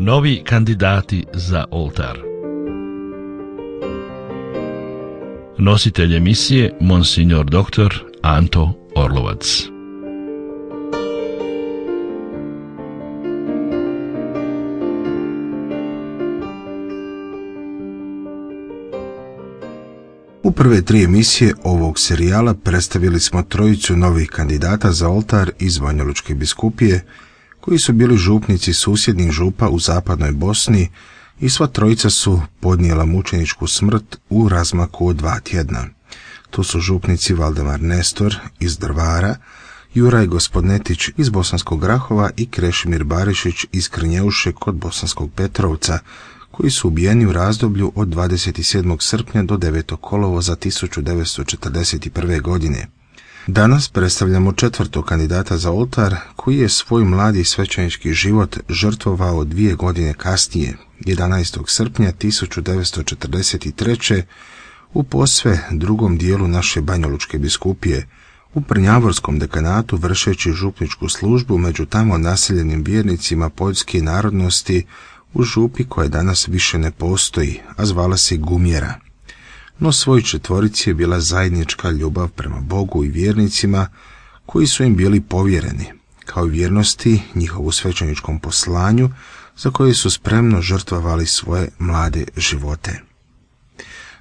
Novi kandidati za oltar. Nositelj emisije Monsignor dr. Anto Orlovac. U prve 3 emisije ovog serijala predstavili smo trojicu novih kandidata za oltar iz Banjalučke biskupije, koji su bili župnici susjednih župa u zapadnoj Bosni i sva trojica su podnijela mučeničku smrt u razmaku od 2 tjedna. To su župnici Valdemar Nestor iz Drvara, Juraj Gospodnetić iz Bosanskog Grahova i Krešimir Barišić iz Krnjeuše kod Bosanskog Petrovca, koji su ubijeni u razdoblju od 27. srpnja do 9. kolovoza 1941. godine. Danas predstavljamo 4. kandidata za oltar, koji je svoj mladi svećenički život žrtvovao 2 godine kasnije, 11. srpnja 1943. u posve drugom dijelu naše Banjalučke biskupije, u Prnjavorskom dekanatu, vršeći župničku službu među tamo naseljenim vjernicima poljske narodnosti u župi koja danas više ne postoji, a zvala se Gumjera. No svoj četvorici je bila zajednička ljubav prema Bogu i vjernicima koji su im bili povjereni, kao i vjernosti njihovu svećeničkom poslanju za koje su spremno žrtvovali svoje mlade živote.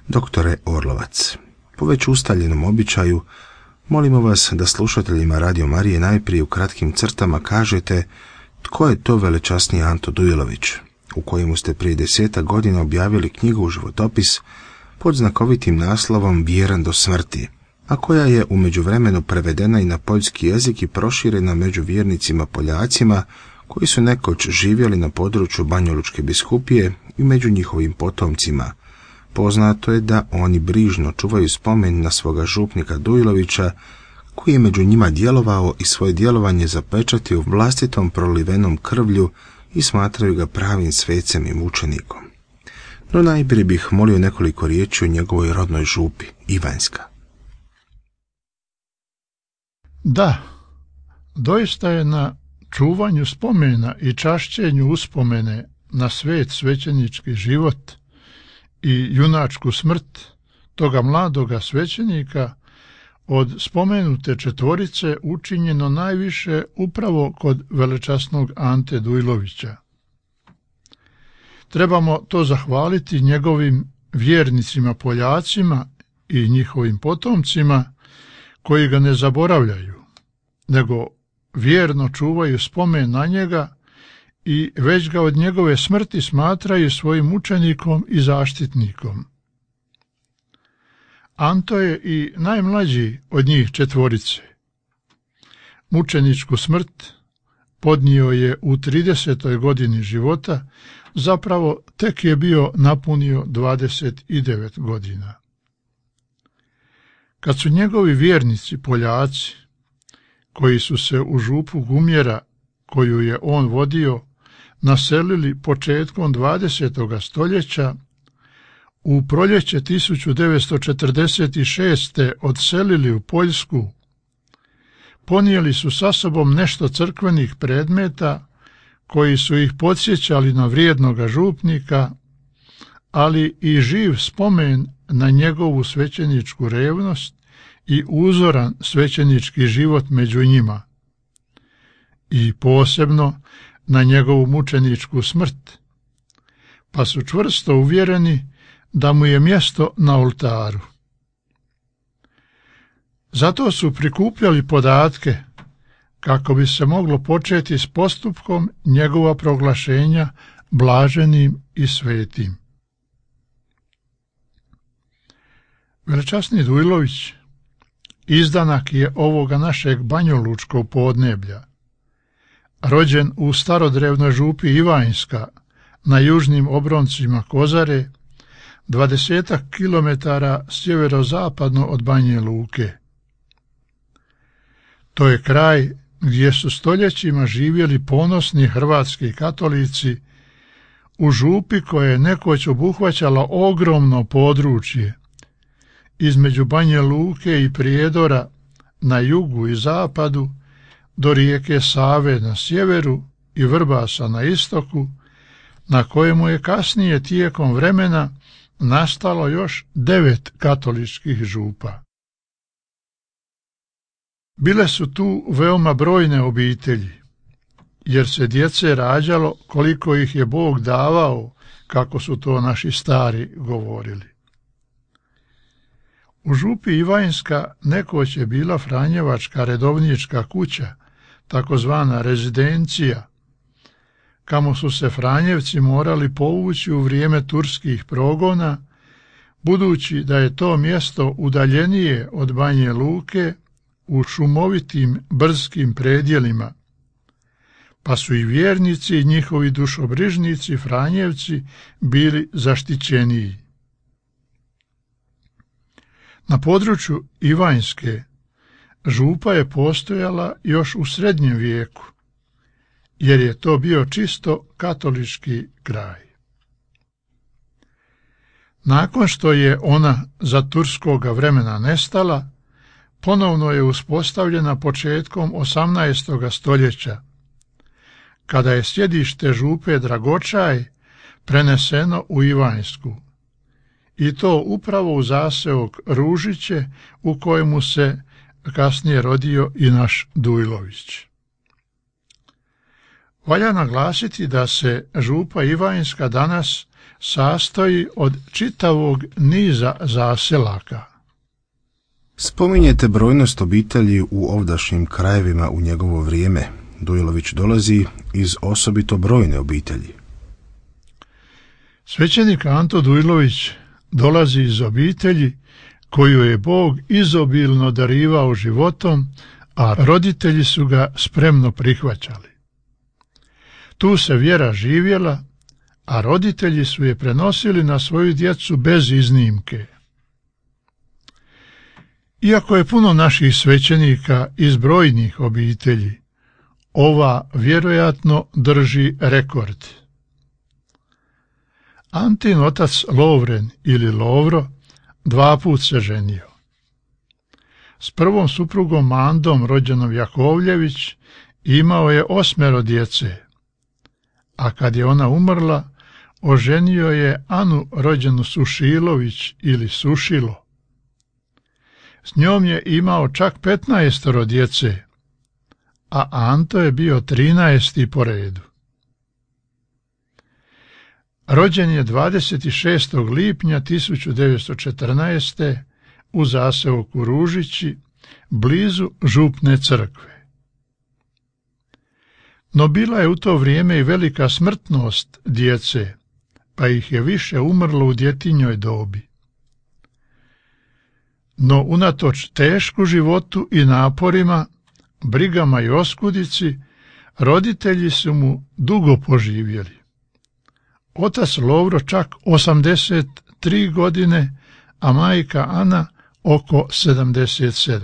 Doktore Orlovac, po već ustaljenom običaju, molimo vas da slušateljima Radio Marije najprije u kratkim crtama kažete tko je to velečasni Anto Dujlović, u kojemu ste prije 10 godina objavili knjigu životopis pod znakovitim naslovom Vjeran do smrti, a koja je u međuvremenu prevedena i na poljski jezik i proširena među vjernicima Poljacima koji su nekoć živjeli na području Banjalučke biskupije i među njihovim potomcima. Poznato je da oni brižno čuvaju spomen na svoga župnika Dujlovića, koji je među njima djelovao i svoje djelovanje zapečatio vlastitom prolivenom krvlju i smatraju ga pravim svecem i mučenikom. No najprije bih molio nekoliko riječi o njegovoj rodnoj župi, Ivanjska. Da, doista je na čuvanju spomena i čašćenju uspomene na svet svećenički život i junačku smrt toga mladoga svećenika od spomenute četvorice učinjeno najviše upravo kod velečasnog Ante Dujlovića. Trebamo to zahvaliti njegovim vjernicima Poljacima i njihovim potomcima koji ga ne zaboravljaju, nego vjerno čuvaju spomen na njega i već ga od njegove smrti smatraju svojim učenikom i zaštitnikom. Anto je i najmlađi od njih četvorice. Mučeničku smrt podnio je u 30. godini života, zapravo tek je bio napunio 29 godina. Kad su njegovi vjernici Poljaci, koji su se u župu Gumjera, koju je on vodio, naselili početkom 20. stoljeća, u proljeće 1946. odselili u Poljsku, ponijeli su sa sobom nešto crkvenih predmeta koji su ih podsjećali na vrijednoga župnika, ali i živ spomen na njegovu svećeničku revnost i uzoran svećenički život među njima, i posebno na njegovu mučeničku smrt, pa su čvrsto uvjereni da mu je mjesto na oltaru. Zato su prikupljali podatke kako bi se moglo početi s postupkom njegova proglašenja blaženim i svetim. Velečasni Dujlović izdanak je ovoga našeg banjalučkog podneblja, rođen u starodrevnoj župi Ivanjska na južnim obroncima Kozare, 20 kilometara sjeverozapadno od Banje Luke. To je kraj gdje su stoljećima živjeli ponosni hrvatski katolici u župi koja je nekoć obuhvaćala ogromno područje između Banje Luke i Prijedora na jugu i zapadu do rijeke Save na sjeveru i Vrbasa na istoku, na kojemu je kasnije tijekom vremena nastalo još 9 katoličkih župa. Bile su tu veoma brojne obitelji, jer se djece rađalo koliko ih je Bog davao, kako su to naši stari govorili. U župi Ivanjska nekoć je bila Franjevačka redovnička kuća, takozvana rezidencija, kamo su se Franjevci morali povući u vrijeme turskih progona, budući da je to mjesto udaljenije od Banje Luke u šumovitim brskim predjelima, pa su i vjernici i njihovi dušobrižnici Franjevci bili zaštićeniji. Na području Ivanjske župa je postojala još u srednjem vijeku, jer je to bio čisto katolički kraj. Nakon što je ona za turskoga vremena nestala, ponovno je uspostavljena početkom 18. stoljeća, kada je sjedište župe Dragočaj preneseno u Ivanjsku, i to upravo u zaseok Ružiće, u kojemu se kasnije rodio i naš Dujlović. Valja naglasiti da se župa Ivanjska danas sastoji od čitavog niza zaselaka. Spominjete brojnost obitelji u ovdašnjim krajevima u njegovo vrijeme. Dujlović dolazi iz osobito brojne obitelji. Svećenik Anto Dujlović dolazi iz obitelji koju je Bog izobilno darivao životom, a roditelji su ga spremno prihvaćali. Tu se vjera živjela, a roditelji su je prenosili na svoju djecu bez iznimke. Iako je puno naših svećenika iz brojnih obitelji, ova vjerojatno drži rekord. Antin otac Lovren ili Lovro 2 put se ženio. S prvom suprugom Mandom, rođenom Jakovljević, imao je 8 djece, a kad je ona umrla, oženio je Anu, rođenu Sušilović ili Sušilo. S njom je imao čak 15 djece, a Anto je bio 13. po redu. Rođen je 26. lipnja 1914. u zaseoku Ružići, blizu župne crkve. No bila je u to vrijeme i velika smrtnost djece, pa ih je više umrlo u djetinjoj dobi. No unatoč tešku životu i naporima, brigama i oskudici, roditelji su mu dugo poživjeli. Otac Lovro čak 83 godine, a majka Ana oko 77.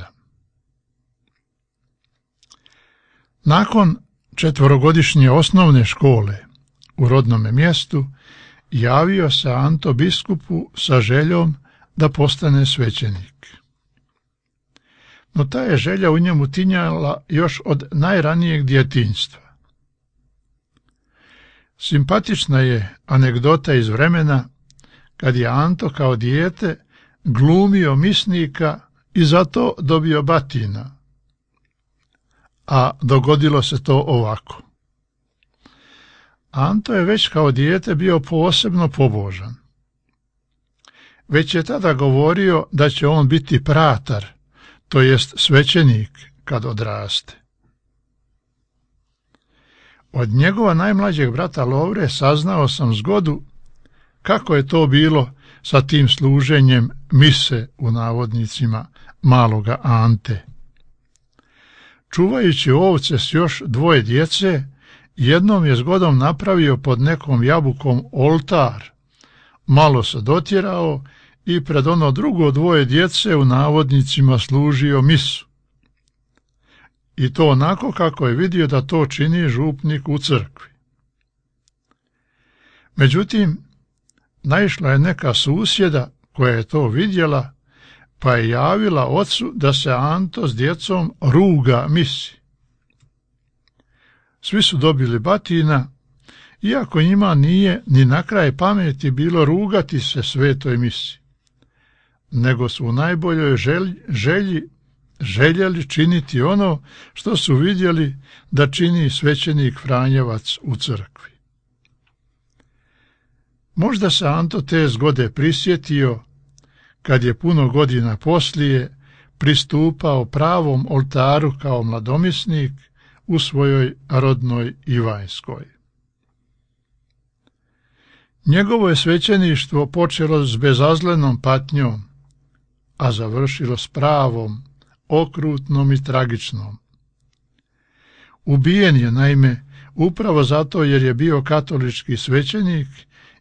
Nakon 4-godišnje osnovne škole u rodnome mjestu javio se Anto biskupu sa željom da postane svećenik. No ta je želja u njemu tinjala još od najranijeg djetinjstva. Simpatična je anegdota iz vremena kad je Anto kao dijete glumio misnika i zato dobio batina. A dogodilo se to ovako. Anto je već kao dijete bio posebno pobožan. Već je tada govorio da će on biti pratar, to jest svećenik kad odraste. Od njegova najmlađeg brata Lovre saznao sam zgodu kako je to bilo sa tim služenjem mise u navodnicima maloga Ante. Čuvajući ovce s još 2 djece, jednom je zgodom napravio pod nekom jabukom oltar, malo se dotjerao i pred ono drugo 2 djece u navodnicima služio misu. I to onako kako je vidio da to čini župnik u crkvi. Međutim, naišla je neka susjeda koja je to vidjela, pa je javila ocu da se Anto s djecom ruga misi. Svi su dobili batina iako njima nije ni na kraj pameti bilo rugati se svetoj misi, nego su u najboljoj željeli činiti ono što su vidjeli da čini svećenik Franjevac u crkvi. Možda se Anto te zgode prisjetio kad je puno godina poslije pristupao pravom oltaru kao mladomisnik u svojoj rodnoj Ivanjskoj. Njegovo je svećeništvo počelo s bezazlenom patnjom, a završilo s pravom, okrutnom i tragičnom. Ubijen je, naime, upravo zato jer je bio katolički svećenik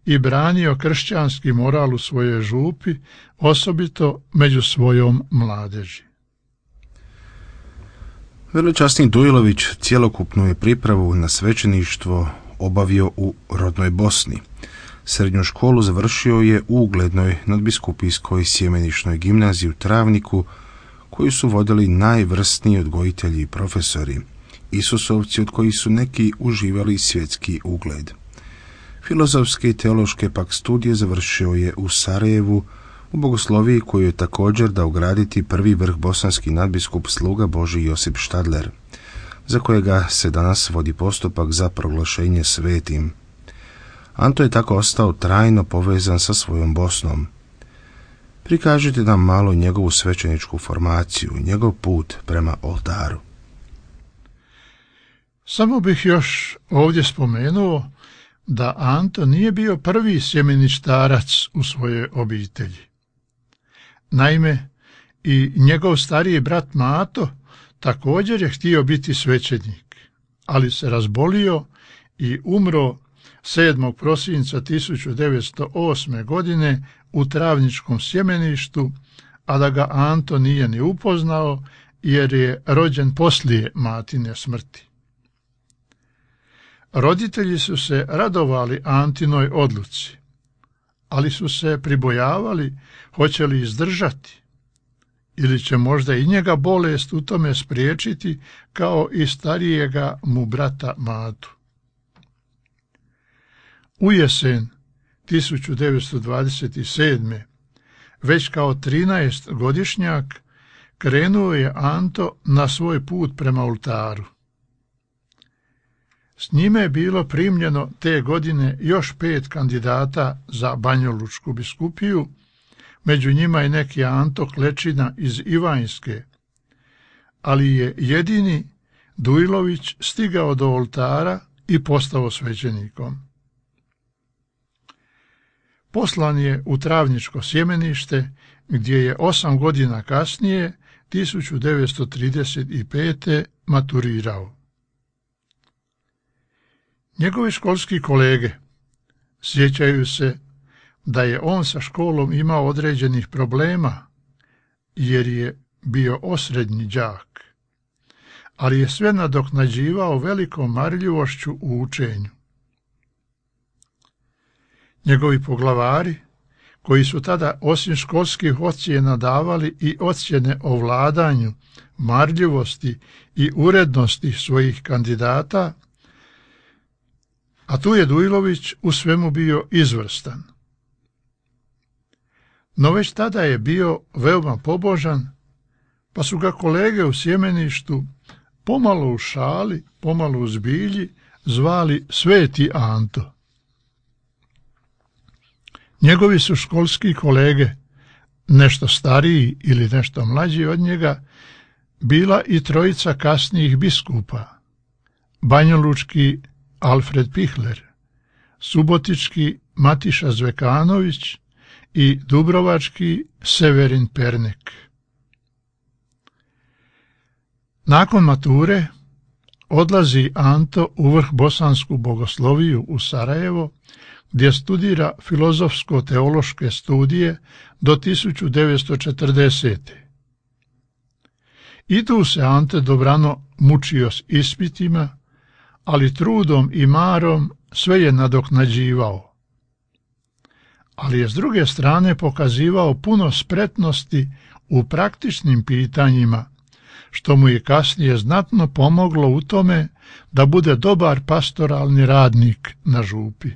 i branio kršćanski moral u svojoj župi, osobito među svojom mladeži. Velečasnik Dujlović cjelokupnu je pripravu na svećeništvo obavio u rodnoj Bosni. Srednju školu završio je u uglednoj nadbiskupijskoj sjemeničnoj gimnaziji u Travniku, koju su vodili najvrsniji odgojitelji i profesori, isusovci od kojih su neki uživali svjetski ugled. Filozofske i teološke pak studije završio je u Sarajevu, u bogosloviji koju je također dao graditi prvi vrh bosanski nadbiskup sluga Božji Josip Štadler, za kojega se danas vodi postupak za proglašenje svetim. Anto je tako ostao trajno povezan sa svojom Bosnom. Prikažite nam malo njegovu svećeničku formaciju, njegov put prema oltaru. Samo bih još ovdje spomenuo da Anto nije bio prvi sjemeništarac u svojoj obitelji. Naime, i njegov stariji brat Mato također je htio biti svećenik, ali se razbolio i umro 7. prosinca 1908. godine u Travničkom sjemeništu, a da ga Anto nije ni upoznao jer je rođen poslije matine smrti. Roditelji su se radovali Antinoj odluci, ali su se pribojavali hoće li izdržati ili će možda i njega bolest u tome spriječiti kao i starijega mu brata Matu. U jesen 1927. već kao 13-godišnjak krenuo je Anto na svoj put prema oltaru. S njime je bilo primljeno te godine još 5 kandidata za banjalučku biskupiju, među njima i neki Anto Klečina iz Ivanjske, ali je jedini Dujlović stigao do oltara i postao svećenikom. Poslan je u Travničko sjemenište, gdje je 8 godina kasnije, 1935. maturirao. Njegovi školski kolege sjećaju se da je on sa školom imao određenih problema, jer je bio osrednji đak, ali je sve nadoknađivao velikom marljivošću u učenju. Njegovi poglavari, koji su tada osim školskih ocjena davali i ocjene o vladanju, marljivosti i urednosti svojih kandidata, a tu je Dujlović u svemu bio izvrstan. No već tada je bio veoma pobožan, pa su ga kolege u sjemeništu pomalo u šali, pomalo u zbilji zvali Sveti Anto. Njegovi su školski kolege, nešto stariji ili nešto mlađi od njega, bila i trojica kasnijih biskupa, banjalučki Alfred Pihler, subotički Matiša Zvekanović i dubrovački Severin Pernek. Nakon mature odlazi Anto u vrh bosansku bogosloviju u Sarajevo, gdje studira filozofsko-teološke studije do 1940. I tu se Ante dobrano mučio s ispitima, ali trudom i marom sve je nadoknađivao. Ali je s druge strane pokazivao puno spretnosti u praktičnim pitanjima, što mu je kasnije znatno pomoglo u tome da bude dobar pastoralni radnik na župi.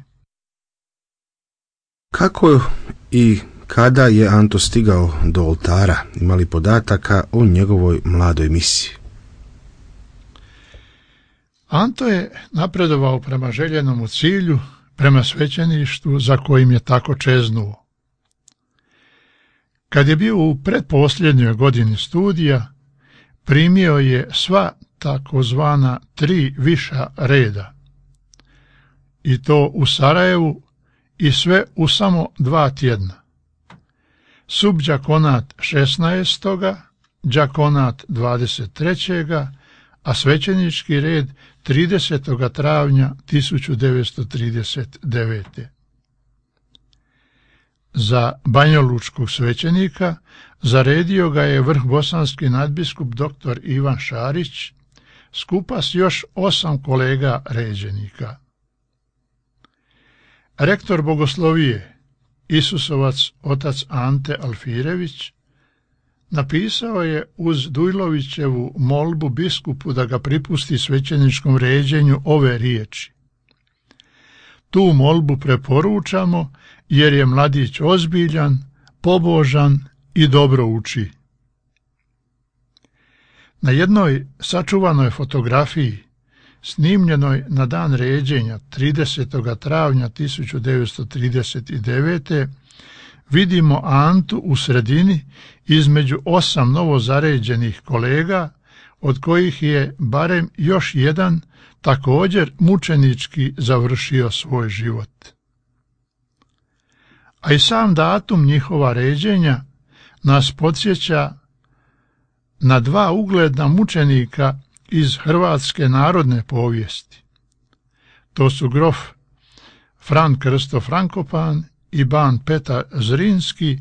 Kako i kada je Anto stigao do oltara? Ima li podataka o njegovoj mladoj misiji? Anto je napredovao prema željenomu cilju, prema svećeništvu za kojim je tako čeznuo. Kad je bio u pretposljednjoj godini studija, primio je sva takozvana 3 viša reda, i to u Sarajevu i sve u samo 2 tjedna. Subđakonat 16., đakonat 23., a svećenički red 30. travnja 1939. Za banjolučkog svećenika zaredio ga je vrhbosanski nadbiskup dr. Ivan Šarić, skupa s još 8 kolega ređenika. Rektor bogoslovije, Isusovac otac Ante Alfirević, napisao je uz Dujlovićevu molbu biskupu da ga pripusti svećeničkom ređenju ove riječi: tu molbu preporučamo jer je mladić ozbiljan, pobožan i dobro uči. Na jednoj sačuvanoj fotografiji, snimljenoj na dan ređenja 30. travnja 1939. vidimo Antu u sredini između 8 novozaređenih kolega, od kojih je barem još jedan također mučenički završio svoj život. A i sam datum njihova ređenja nas podsjeća na 2 ugledna mučenika iz hrvatske narodne povijesti. To su grof Fran Krsto Frankopan i ban Petar Zrinski,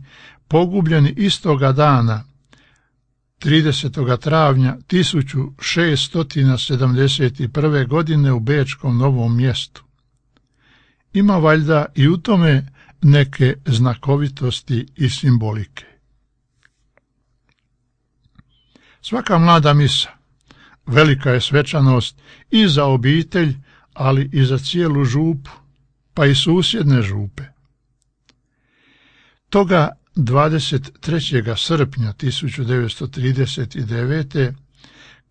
pogubljeni istoga dana, 30. travnja 1671. godine u Bečkom Novom Mjestu. Ima valjda i u tome neke znakovitosti i simbolike. Svaka mlada misa velika je svečanost i za obitelj, ali i za cijelu župu, pa i susjedne župe. Toga 23. srpnja 1939.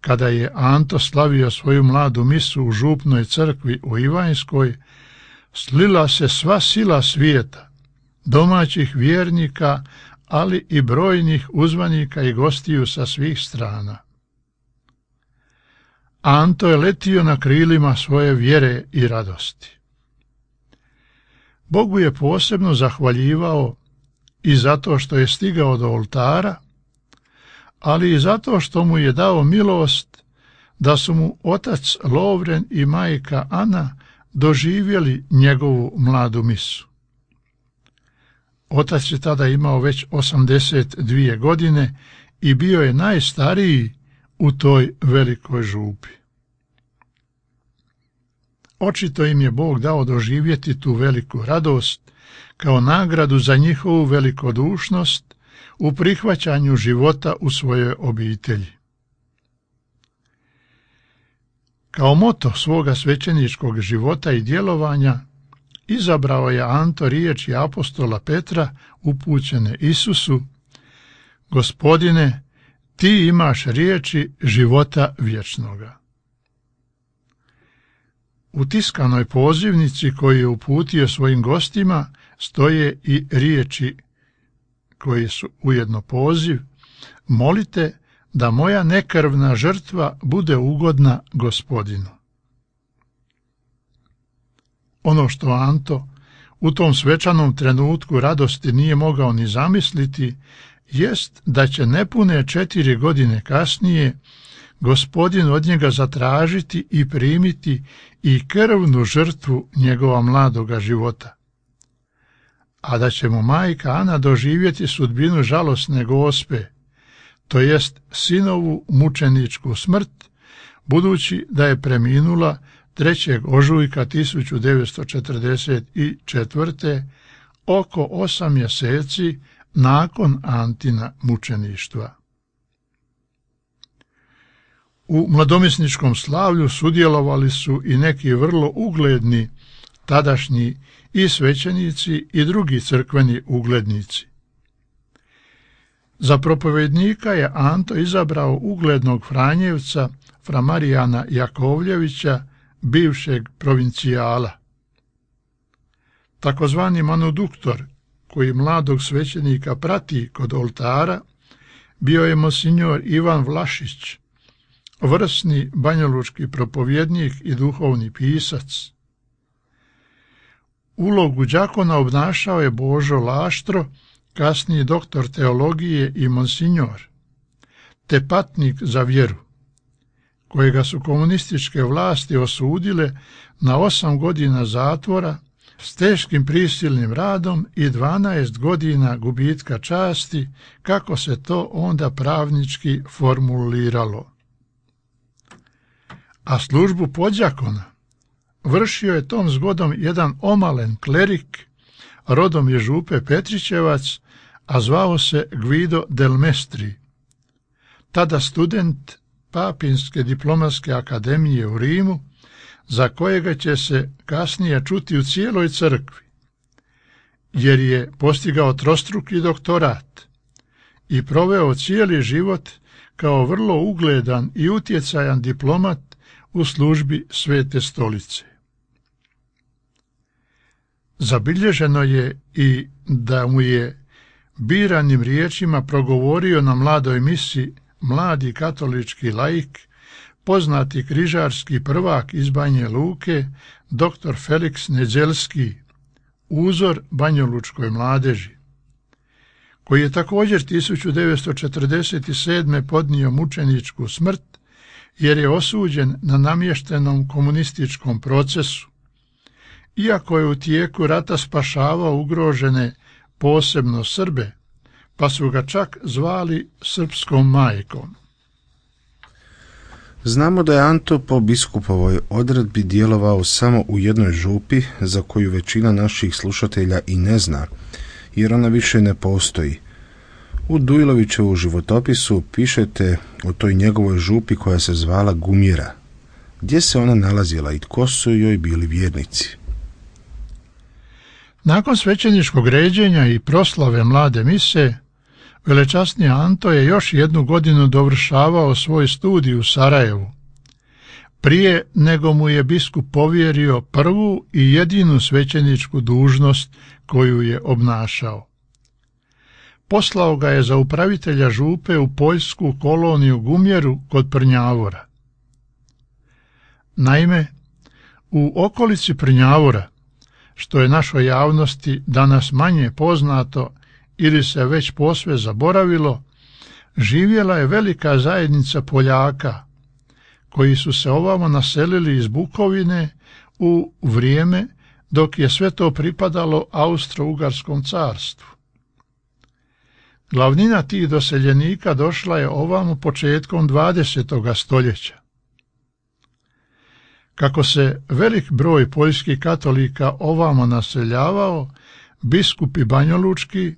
kada je Anto slavio svoju mladu misu u župnoj crkvi u Ivanjskoj, slila se sva sila svijeta, domaćih vjernika, ali i brojnih uzvanika i gostiju sa svih strana. Anto je letio na krilima svoje vjere i radosti. Bogu je posebno zahvaljivao i zato što je stigao do oltara, ali i zato što mu je dao milost da su mu otac Lovren i majka Ana doživjeli njegovu mladu misu. Otac je tada imao već 82 godine i bio je najstariji u toj velikoj župi. Očito im je Bog dao doživjeti tu veliku radost kao nagradu za njihovu velikodušnost u prihvaćanju života u svojoj obitelji. Kao moto svoga svećeničkog života i djelovanja izabrao je Anto riječi apostola Petra upućene Isusu: Gospodine, ti imaš riječi života vječnoga. U tiskanoj pozivnici koju je uputio svojim gostima stoje i riječi koje su ujedno poziv: molite da moja nekrvna žrtva bude ugodna Gospodinu. Ono što Anto u tom svečanom trenutku radosti nije mogao ni zamisliti, jest da će nepune 4 godine kasnije Gospodin od njega zatražiti i primiti i krvnu žrtvu njegova mladoga života, a da će mu majka Ana doživjeti sudbinu žalosne Gospe, to jest sinovu mučeničku smrt, budući da je preminula 3. ožujka 1944. oko 8 mjeseci nakon Antina mučeništva. U mladomisničkom slavlju sudjelovali su i neki vrlo ugledni tadašnji i svećenici i drugi crkveni uglednici. Za propovednika je Anto izabrao uglednog Franjevca, fra Marijana Jakovljevića, bivšeg provincijala. Takozvani manuduktor, koji mladog svećenika prati kod oltara, bio je monsignor Ivan Vlašić, vrsni banjalučki propovjednik i duhovni pisac. Ulogu đakona obnašao je Božo Laštro, kasniji doktor teologije i monsignor, te patnik za vjeru, kojega su komunističke vlasti osudile na 8 godina zatvora s teškim prisilnim radom i 12 godina gubitka časti, kako se to onda pravnički formuliralo. A službu podđakona vršio je tom zgodom jedan omalen klerik, rodom je Župe Petrićevac, a zvao se Guido del Mestri, tada student Papinske diplomatske akademije u Rimu, za kojega će se kasnije čuti u cijeloj crkvi, jer je postigao trostruki doktorat i proveo cijeli život kao vrlo ugledan i utjecajan diplomat u službi Svete stolice. Zabilježeno je i da mu je biranim riječima progovorio na mladoj misi mladi katolički laik, poznati križarski prvak iz Banje Luke, dr. Felix Nedzeljski, uzor banjalučkoj mladeži, koji je također 1947. podnio mučeničku smrt jer je osuđen na namještenom komunističkom procesu, iako je u tijeku rata spašavao ugrožene posebno Srbe, pa su ga čak zvali srpskom majkom. Znamo da je Anto po biskupovoj odredbi djelovao samo u jednoj župi, za koju većina naših slušatelja i ne zna, jer ona više ne postoji. U Dujlovićevu životopisu pišete o toj njegovoj župi koja se zvala Gumjera. Gdje se ona nalazila i tko su joj bili vjernici? Nakon svećeničkog ređenja i proslave mlade mise, velečasni Anto je još 1 godinu dovršavao svoj studij u Sarajevu, prije nego mu je biskup povjerio prvu i jedinu svećeničku dužnost koju je obnašao. Poslao ga je za upravitelja župe u poljsku koloniju Gumjeru kod Prnjavora. Naime, u okolici Prnjavora, što je našoj javnosti danas manje poznato ili se već posve zaboravilo, živjela je velika zajednica Poljaka, koji su se ovamo naselili iz Bukovine u vrijeme dok je sve to pripadalo Austro-Ugarskom carstvu. Glavnina tih doseljenika došla je ovamo početkom 20. stoljeća. Kako se velik broj poljskih katolika ovamo naseljavao, biskupi banjalučki,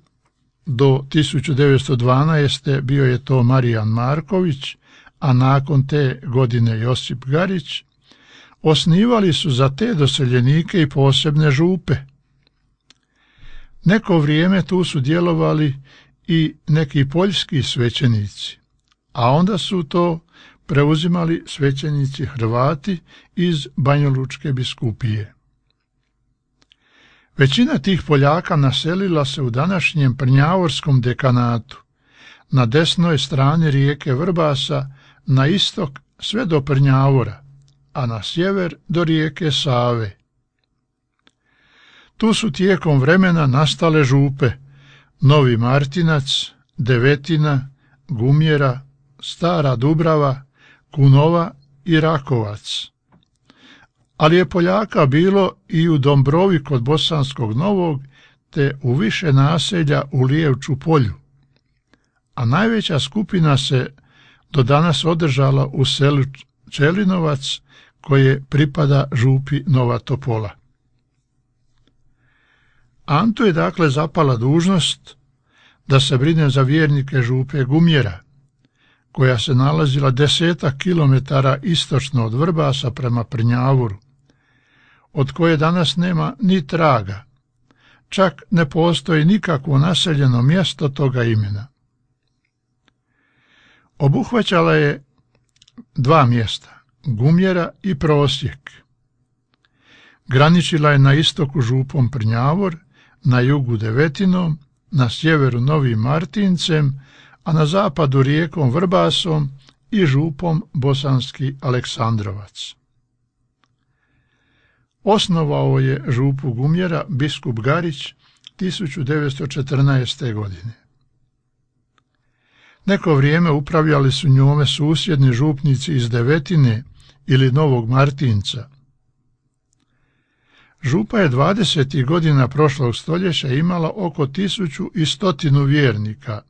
do 1912. bio je to Marijan Marković, a nakon te godine Josip Garić, osnivali su za te doseljenike i posebne župe. Neko vrijeme tu su djelovali i neki poljski svećenici, a onda su to preuzimali svećenici Hrvati iz Banjalučke biskupije. Većina tih Poljaka naselila se u današnjem Prnjavorskom dekanatu, na desnoj strani rijeke Vrbasa, na istok sve do Prnjavora, a na sjever do rijeke Save. Tu su tijekom vremena nastale župe Novi Martinac, Devetina, Gumjera, Stara Dubrava, Kunova i Rakovac. Ali je Poljaka bilo i u Dombrovi kod Bosanskog Novog, te u više naselja u Lijevču polju, a najveća skupina se do danas održala u selu Čelinovac, koje pripada župi Nova Topola. Antu je dakle zapala dužnost da se brine za vjernike župe Gumjera, koja se nalazila 10 kilometara istočno od Vrbasa prema Prnjavoru, od koje danas nema ni traga, čak ne postoji nikakvo naseljeno mjesto toga imena. Obuhvaćala je 2 mjesta, Gumjera i Prosjek. Graničila je na istoku župom Prnjavor, na jugu Devetinom, na sjeveru Novim Martincem, a na zapadu rijekom Vrbasom i župom Bosanski Aleksandrovac. Osnovao je župu Gumjera biskup Garić 1914. godine. Neko vrijeme upravljali su njome susjedni župnici iz Devetine ili Novog Martinca. Župa je 20. godina prošlog stoljeća imala oko 1100 vjernika,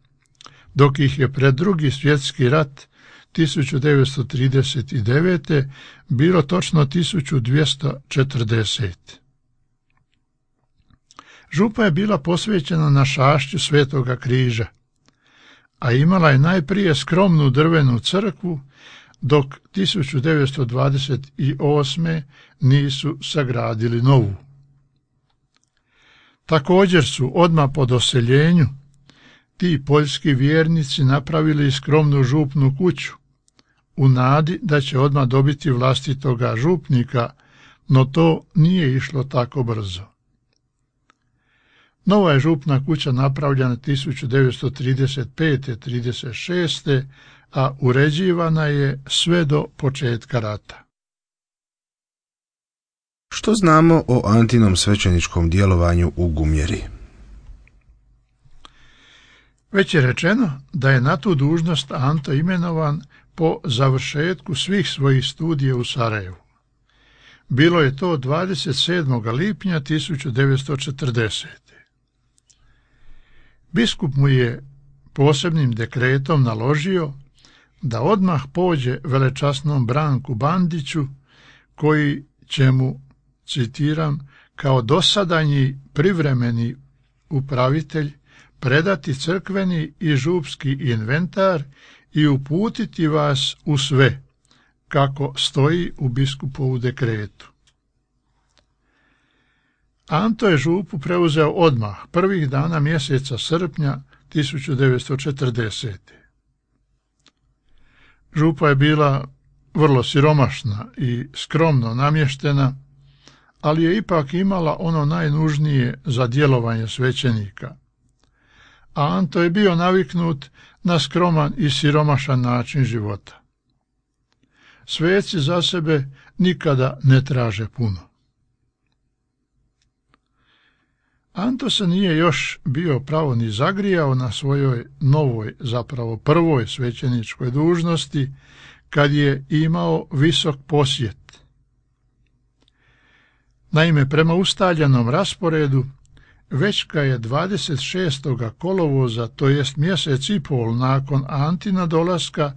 dok ih je pred Drugi svjetski rat 1939. bilo točno 1240. Župa je bila posvećena našašću Svetoga križa, a imala je najprije skromnu drvenu crkvu, dok 1928. nisu sagradili novu. Također su odmah po doseljenju ti poljski vjernici napravili skromnu župnu kuću, u nadi da će odmah dobiti vlastitoga župnika, no to nije išlo tako brzo. Nova je župna kuća napravljena 1935-36, a uređivana je sve do početka rata. Što znamo o Antinom svećeničkom djelovanju u Gumjeri? Već je rečeno da je na tu dužnost Anto imenovan po završetku svih svojih studija u Sarajevu. Bilo je to 27. lipnja 1940. Biskup mu je posebnim dekretom naložio da odmah pođe velečasnom Branku Bandiću, koji će mu, citiram, kao dosadanji privremeni upravitelj predati crkveni i župski inventar i uputiti vas u sve, kako stoji u biskupovu dekretu. Anto je župu preuzeo odmah, prvih dana mjeseca srpnja 1940. Župa je bila vrlo siromašna i skromno namještena, ali je ipak imala ono najnužnije za djelovanje svećenika. A Anto je bio naviknut na skroman i siromašan način života. Sveci za sebe nikada ne traže puno. Anto se nije još bio pravo ni zagrijao na svojoj novoj, zapravo prvoj svećeničkoj dužnosti, kad je imao visok posjet. Naime, prema ustaljenom rasporedu, već kad je 26. kolovoza, to jest mjesec i pol nakon Antina dolaska,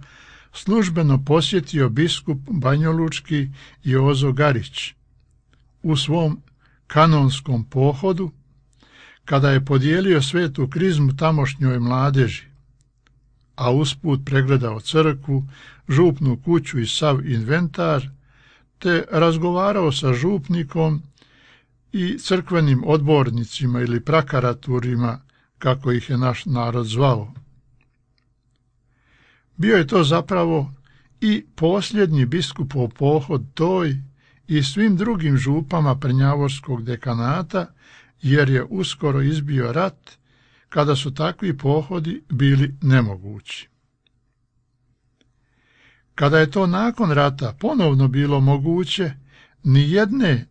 službeno posjetio biskup banjolučki Jozo Garić u svom kanonskom pohodu, kada je podijelio svetu krizmu tamošnjoj mladeži, a usput pregledao crkvu, župnu kuću i sav inventar, te razgovarao sa župnikom i crkvenim odbornicima ili prakaraturima, kako ih je naš narod zvao. Bio je to zapravo i posljednji biskupov pohod toj i svim drugim župama Prnjavorskog dekanata, jer je uskoro izbio rat, kada su takvi pohodi bili nemogući. Kada je to nakon rata ponovno bilo moguće, ni jedne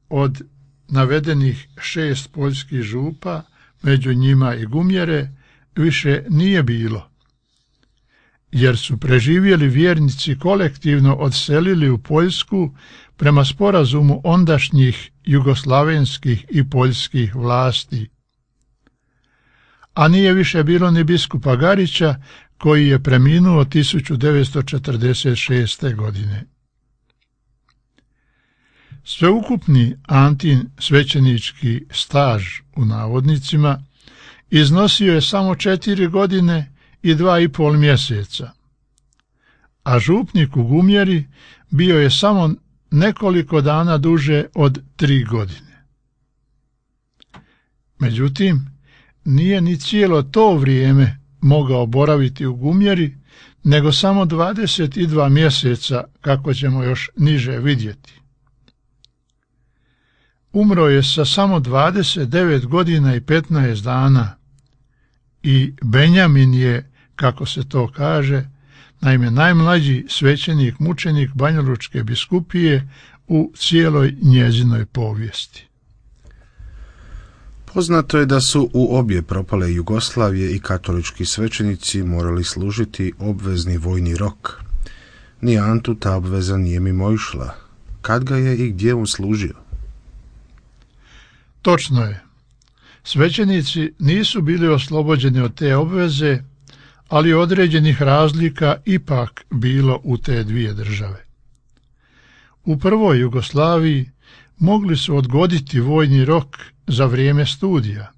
od navedenih 6 poljskih župa, među njima i Gumjere, više nije bilo, jer su preživjeli vjernici kolektivno odselili u Poljsku prema sporazumu ondašnjih jugoslavenskih i poljskih vlasti. A nije više bilo ni biskupa Garića, koji je preminuo 1946. godine. Sveukupni Antin svećenički staž, u navodnicima, iznosio je samo 4 godine i 2,5 mjeseca, a župnik u Gumjeri bio je samo nekoliko dana duže od 3 godine. Međutim, nije ni cijelo to vrijeme mogao boraviti u Gumjeri, nego samo 22 mjeseca, kako ćemo još niže vidjeti. Umro je sa samo 29 godina i 15 dana i Benjamin je, kako se to kaže, naime najmlađi svećenik mučenik Banjalučke biskupije u cijeloj njezinoj povijesti. Poznato je da su u obje propale Jugoslavije i katolički svećenici morali služiti obvezni vojni rok. Ni Antu ta obveza nije mimoišla. Kad ga je i gdje on služio? Točno je. Svećenici nisu bili oslobođeni od te obveze, ali određenih razlika ipak bilo u te dvije države. U prvoj Jugoslaviji mogli su odgoditi vojni rok za vrijeme studija.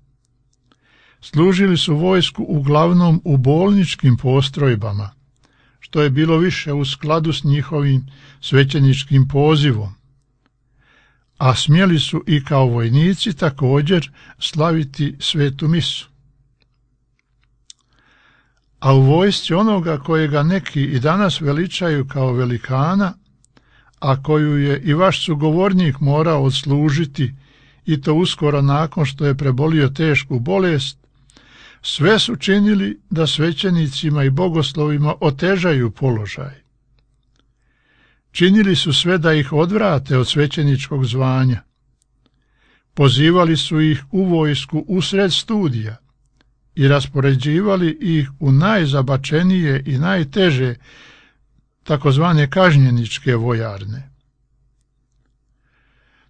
Služili su vojsku uglavnom u bolničkim postrojbama, što je bilo više u skladu s njihovim svećeničkim pozivom, a smjeli su i kao vojnici također slaviti svetu misu. A u vojsci onoga kojega neki i danas veličaju kao velikana, a koju je i vaš sugovornik morao odslužiti, i to uskoro nakon što je prebolio tešku bolest, sve su činili da svećenicima i bogoslovima otežaju položaj. Činili su sve da ih odvrate od svećeničkog zvanja. Pozivali su ih u vojsku usred studija i raspoređivali ih u najzabačenije i najteže takozvane kažnjeničke vojarne.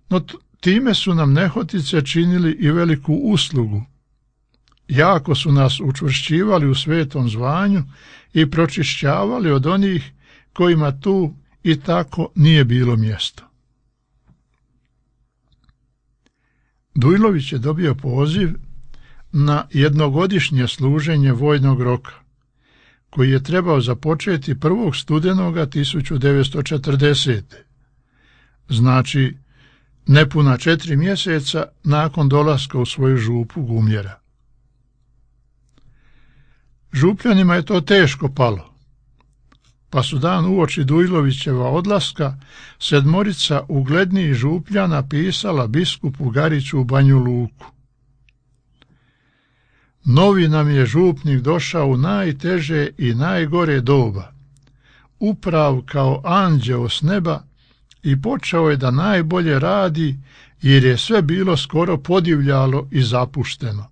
No time su nam nehotice činili i veliku uslugu. Jako su nas učvršćivali u svetom zvanju i pročišćavali od onih kojima tu i tako nije bilo mjesto. Dujlović je dobio poziv na jednogodišnje služenje vojnog roka, koji je trebao započeti 1. studenoga 1940. Znači, nepuna 4 mjeseca nakon dolaska u svoju župu Gumjera. Župljanima je to teško palo, pa su dan uoči Dujlovićeva odlaska 7 uglednijih župljana pisala biskupu Gariću u Banju Luku. Novi nam je župnik došao u najteže i najgore doba, uprav kao anđeo s neba, i počeo je da najbolje radi, jer je sve bilo skoro podivljalo i zapušteno.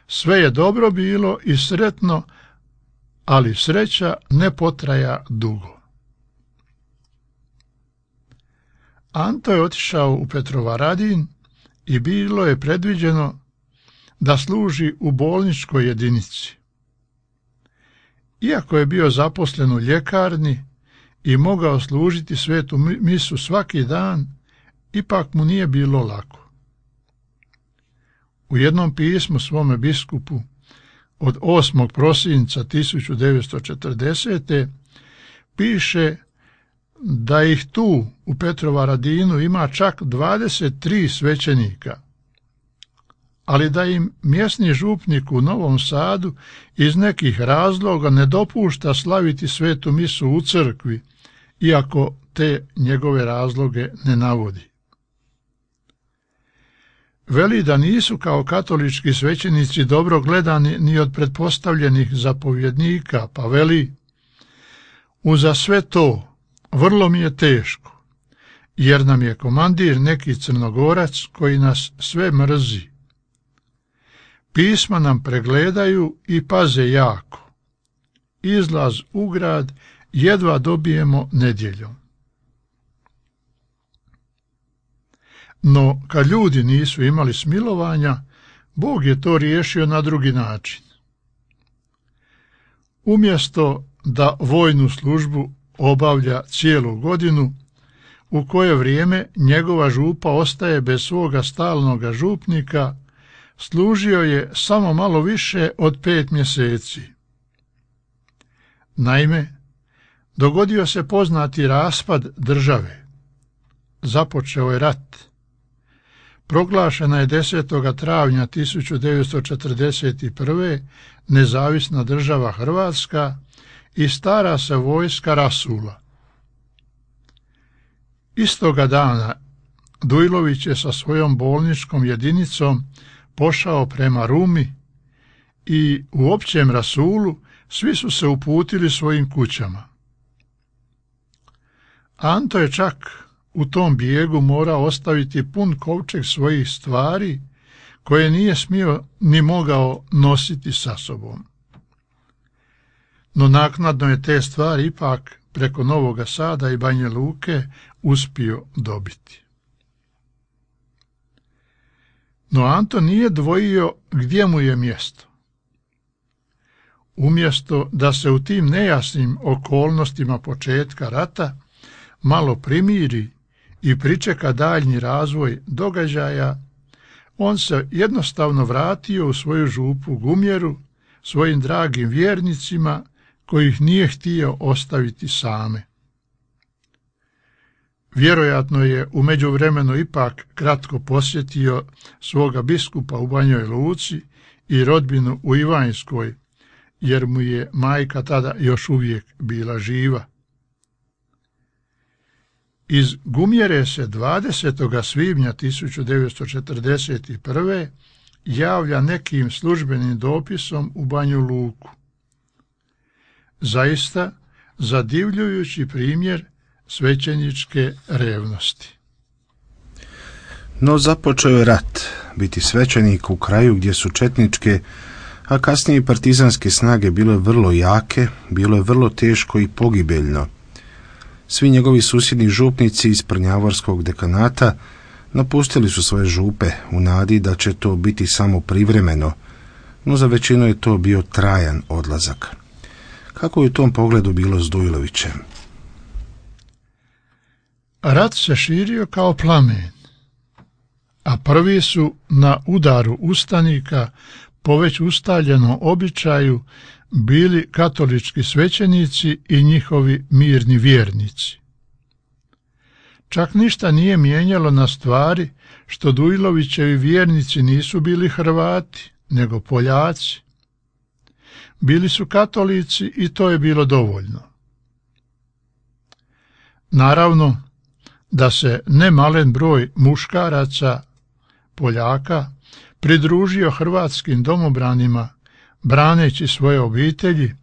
Sve je dobro bilo i sretno, ali sreća ne potraja dugo. Anto je otišao u Petrovaradin i bilo je predviđeno da služi u bolničkoj jedinici. Iako je bio zaposlen u ljekarni i mogao služiti svetu misu svaki dan, ipak mu nije bilo lako. U jednom pismu svome biskupu od 8. prosinca 1940. piše da ih tu u Petrovaradinu ima čak 23 svećenika, ali da im mjesni župnik u Novom Sadu iz nekih razloga ne dopušta slaviti svetu misu u crkvi, iako te njegove razloge ne navodi. Veli da nisu kao katolički svećenici dobro gledani ni od pretpostavljenih zapovjednika, pa veli: uza sve to vrlo mi je teško, jer nam je komandir neki Crnogorac koji nas sve mrzi. Pisma nam pregledaju i paze jako. Izlaz u grad jedva dobijemo nedjeljom. No, kad ljudi nisu imali smilovanja, Bog je to riješio na drugi način. Umjesto da vojnu službu obavlja cijelu godinu, u koje vrijeme njegova župa ostaje bez svoga stalnoga župnika, služio je samo malo više od 5 mjeseci. Naime, Dogodio se poznati raspad države. Započeo je rat. Proglašena je 10. travnja 1941. nezavisna država Hrvatska i stara se vojska rasula. Istoga dana Dujlović je sa svojom bolničkom jedinicom pošao prema Rumi i u općem rasulu svi su se uputili svojim kućama. Anto je čak u tom bijegu morao ostaviti pun kovčeg svojih stvari koje nije smio ni mogao nositi sa sobom. No naknadno je te stvari ipak preko Novoga Sada i Banja Luke uspio dobiti. No Anto nije dvojio gdje mu je mjesto. Umjesto da se u tim nejasnim okolnostima početka rata malo primiri i pričeka daljnji razvoj događaja, on se jednostavno vratio u svoju župu Gumjeru svojim dragim vjernicima kojih nije htio ostaviti same. Vjerojatno je u međuvremenu ipak kratko posjetio svoga biskupa u Banjoj Luci i rodbinu u Ivanjskoj, jer mu je majka tada još uvijek bila živa. Iz Gumjere se 20. svibnja 1941. javlja nekim službenim dopisom u Banju Luku. Zaista zadivljujući primjer svećeničke revnosti. No započeo je rat. Biti svećenik u kraju gdje su četničke, a kasnije i partizanske snage bile vrlo jake, bilo je vrlo teško i pogibeljno. Svi njegovi susjedni župnici iz Prnjavorskog dekanata napustili su svoje župe u nadi da će to biti samo privremeno, no za većinu je to bio trajan odlazak. Kako je u tom pogledu bilo s Dujlovićem? Rat se širio kao plamen, a prvi su na udaru ustanika po već ustaljenom običaju bili katolički svećenici i njihovi mirni vjernici. Čak ništa nije mijenjalo na stvari što Dujlovićevi vjernici nisu bili Hrvati, nego Poljaci. Bili su katolici i to je bilo dovoljno. Naravno da se nemalen broj muškaraca, Poljaka, pridružio hrvatskim domobranima, braneći svoje obitelji,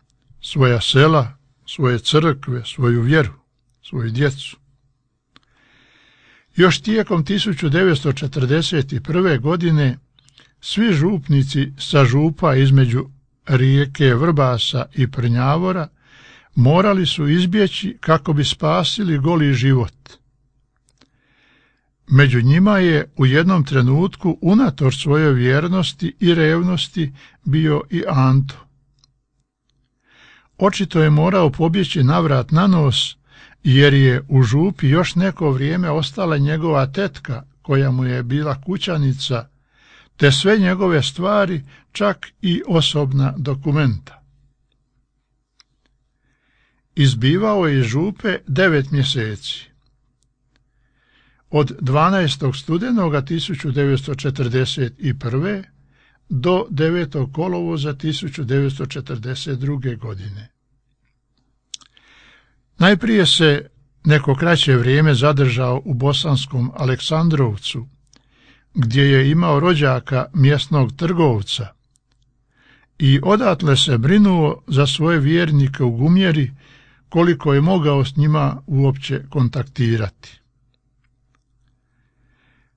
svoja sela, svoje crkve, svoju vjeru, svoju djecu. Još tijekom 1941. godine svi župnici sa župa između rijeke Vrbasa i Prnjavora morali su izbjeći kako bi spasili goli život. Među njima je u jednom trenutku unatoč svojoj vjernosti i revnosti bio i Anto. Očito je morao pobjeći navrat na nos, jer je u župi još neko vrijeme ostala njegova tetka, koja mu je bila kućanica, te sve njegove stvari, čak i osobna dokumenta. Izbivao je iz župe 9 mjeseci. Od 12. studenoga 1941. do 9. kolovoza 1942. godine. Najprije se neko kraće vrijeme zadržao u bosanskom Aleksandrovcu, gdje je imao rođaka mjesnog trgovca, i odatle se brinuo za svoje vjernike u Gumjeri koliko je mogao s njima uopće kontaktirati.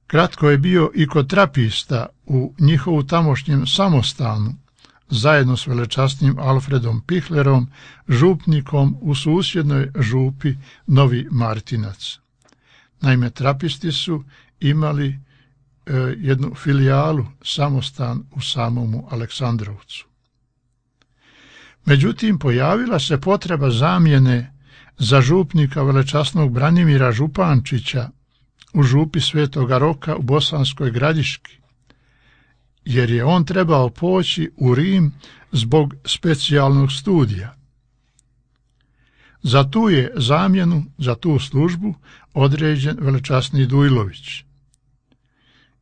Kratko je bio i kod trapista u njihovu tamošnjem samostanu, zajedno s velečasnim Alfredom Pihlerom, župnikom u susjednoj župi Novi Martinac. Naime, trapisti su imali jednu filijalu, samostan u samomu Aleksandrovcu. Međutim, pojavila se potreba zamjene za župnika velečasnog Branimira Župančića u župi Svetoga Roka u Bosanskoj Gradiški, jer je on trebao poći u Rim zbog specijalnog studija. Za tu je zamjenu, za tu službu određen velečasni Dujlović.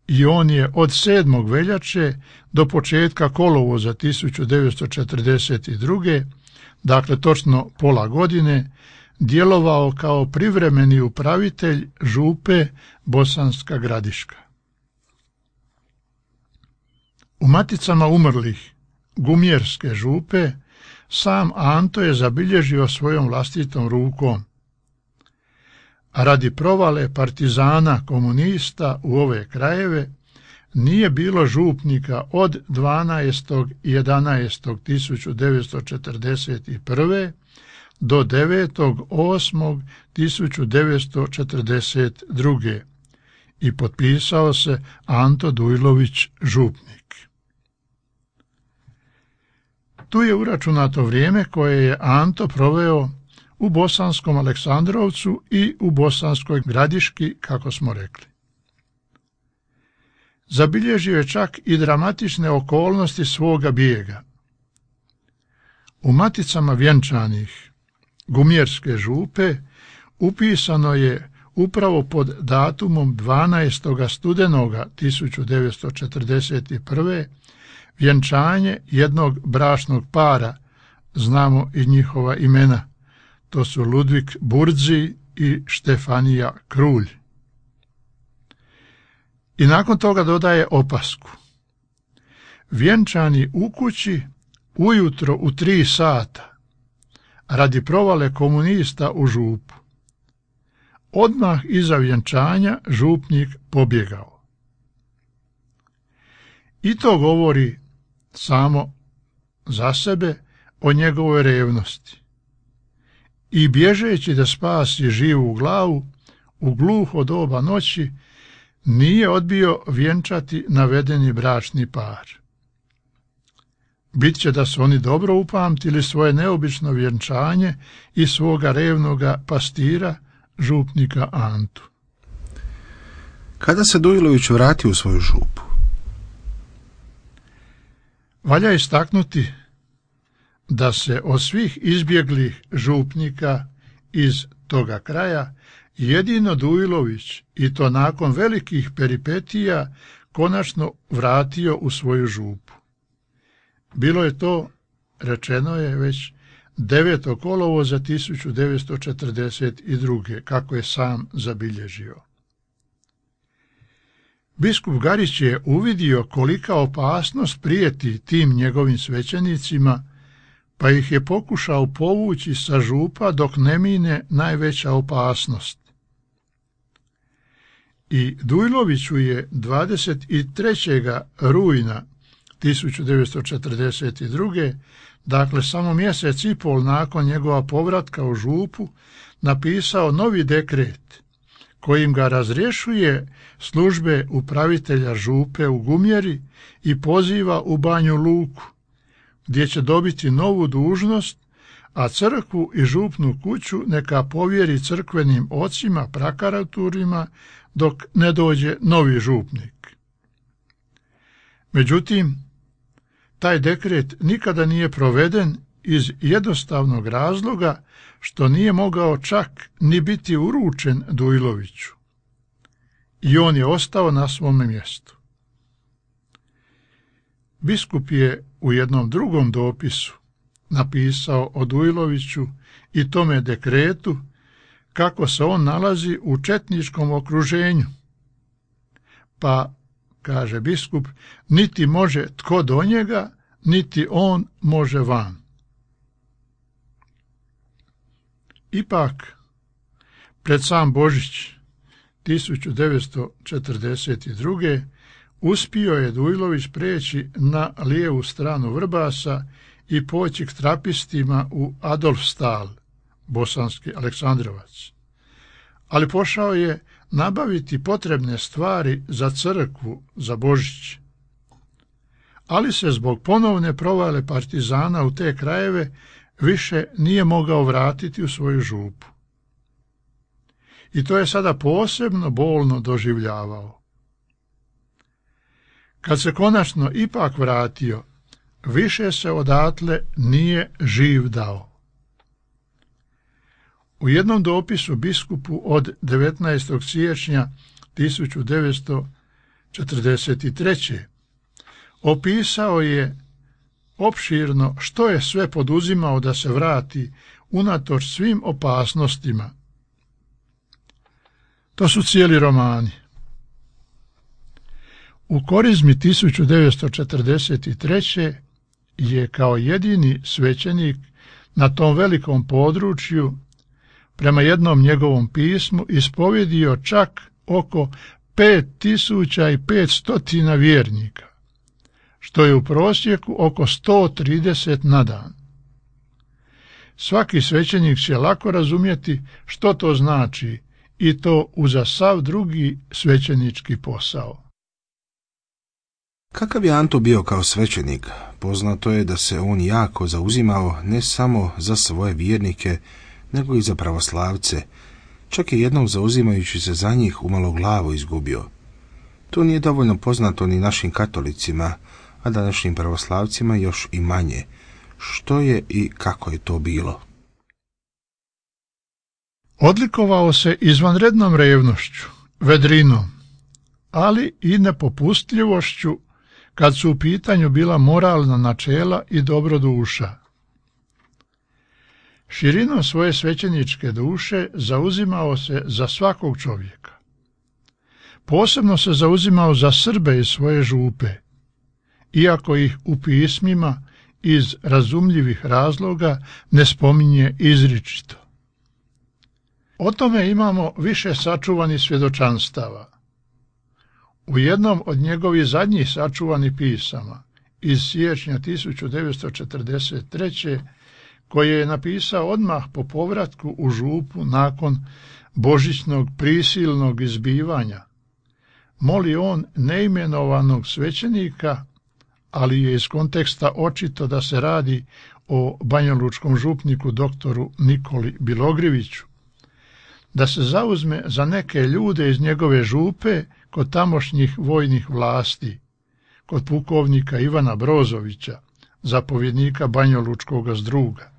I on je od 7. veljače do početka kolovoza 1942. dakle točno pola godine, djelovao kao privremeni upravitelj župe Bosanska Gradiška. U maticama umrlih Gumjerske župe sam Anto je zabilježio svojom vlastitom rukom. A radi provale partizana komunista u ove krajeve nije bilo župnika od 12.11.1941. do 9.8.1942. i potpisao se Anto Dujlović župnik. Tu je uračunato vrijeme koje je Anto proveo u Bosanskom Aleksandrovcu i u Bosanskoj Gradiški, kako smo rekli. Zabilježio je čak i dramatične okolnosti svoga bijega. U maticama vjenčanih Gumjerske župe upisano je upravo pod datumom 12. studenoga 1941. vjenčanje jednog bračnog para, znamo i njihova imena, to su Ludvik Burzi i Štefanija Krulj. I nakon toga dodaje opasku. Vjenčani u kući ujutro u 3 sata, radi provale komunista u župu. Odmah iza vjenčanja župnik pobjegao. I to govori samo za sebe o njegovoj revnosti. I bježeći da spasi živu glavu, u gluho doba noći nije odbio vjenčati navedeni bračni par. Bit će da su oni dobro upamtili svoje neobično vjenčanje i svoga revnoga pastira, župnika Antu. Kada se Dujlović vratio u svoju župu? Valja istaknuti da se od svih izbjeglih župnika iz toga kraja jedino Dujlović, i to nakon velikih peripetija, konačno vratio u svoju župu. Bilo je to, rečeno je već, 9. kolovoza 1942. kako je sam zabilježio. Biskup Garić je uvidio kolika opasnost prijeti tim njegovim svećenicima, pa ih je pokušao povući sa župa dok ne mine najveća opasnost. I Dujloviću je 23. rujna 1942. dakle samo mjesec i pol nakon njegova povratka u župu, napisao novi dekret kojim ga razrješuje službe upravitelja župe u Gumjeri i poziva u Banju Luku, gdje će dobiti novu dužnost, a crkvu i župnu kuću neka povjeri crkvenim ocima, prakaraturima, dok ne dođe novi župnik. Međutim, taj dekret nikada nije proveden iz jednostavnog razloga što nije mogao čak ni biti uručen Dujloviću. I on je ostao na svome mjestu. Biskup je u jednom drugom dopisu napisao o Dujloviću i tome dekretu kako se on nalazi u četničkom okruženju. Pa, kaže biskup, niti može tko do njega, niti on može van. Ipak, pred sam Božić 1942. uspio je Dujlović preći na lijevu stranu Vrbasa i poći k trapistima u Adolfstal, Bosanski Aleksandrovac. Ali pošao je nabaviti potrebne stvari za crkvu, za Božić. Ali se zbog ponovne provale partizana u te krajeve više nije mogao vratiti u svoju župu. I to je sada posebno bolno doživljavao. Kad se konačno ipak vratio, više se odatle nije živ dao. U jednom dopisu biskupu od 19. siječnja 1943. opisao je opširno što je sve poduzimao da se vrati unatoč svim opasnostima. To su cijeli romani. U Korizmi 1943. je kao jedini svećenik na tom velikom području prema jednom njegovom pismu ispovjedio čak oko 5500 vjernika, što je u prosjeku oko 130 na dan. Svaki svećenik će lako razumjeti što to znači i to uza sav drugi svećenički posao. Kakav je Anto bio kao svećenik? Poznato je da se on jako zauzimao ne samo za svoje vjernike, nego i za pravoslavce. Čak je jednom zauzimajući se za njih umalo glavu izgubio. To nije dovoljno poznato ni našim katolicima, a današnjim pravoslavcima još i manje. Što je i kako je to bilo? Odlikovao se izvanrednom revnošću, vedrinom, ali i nepopustljivošću kad su u pitanju bila moralna načela i dobroduša. Širinom svoje svećeničke duše zauzimao se za svakog čovjeka. Posebno se zauzimao za Srbe iz svoje župe, iako ih u pismima iz razumljivih razloga ne spominje izričito. O tome imamo više sačuvanih svjedočanstava. U jednom od njegovih zadnjih sačuvanih pisama iz siječnja 1943. koje je napisao odmah po povratku u župu nakon božićnog prisilnog izbivanja, moli on neimenovanog svećenika, ali je iz konteksta očito da se radi o banjalučkom župniku doktoru Nikoli Bilogriviću, da se zauzme za neke ljude iz njegove župe kod tamošnjih vojnih vlasti, kod pukovnika Ivana Brozovića, zapovjednika banjalučkog zdruga.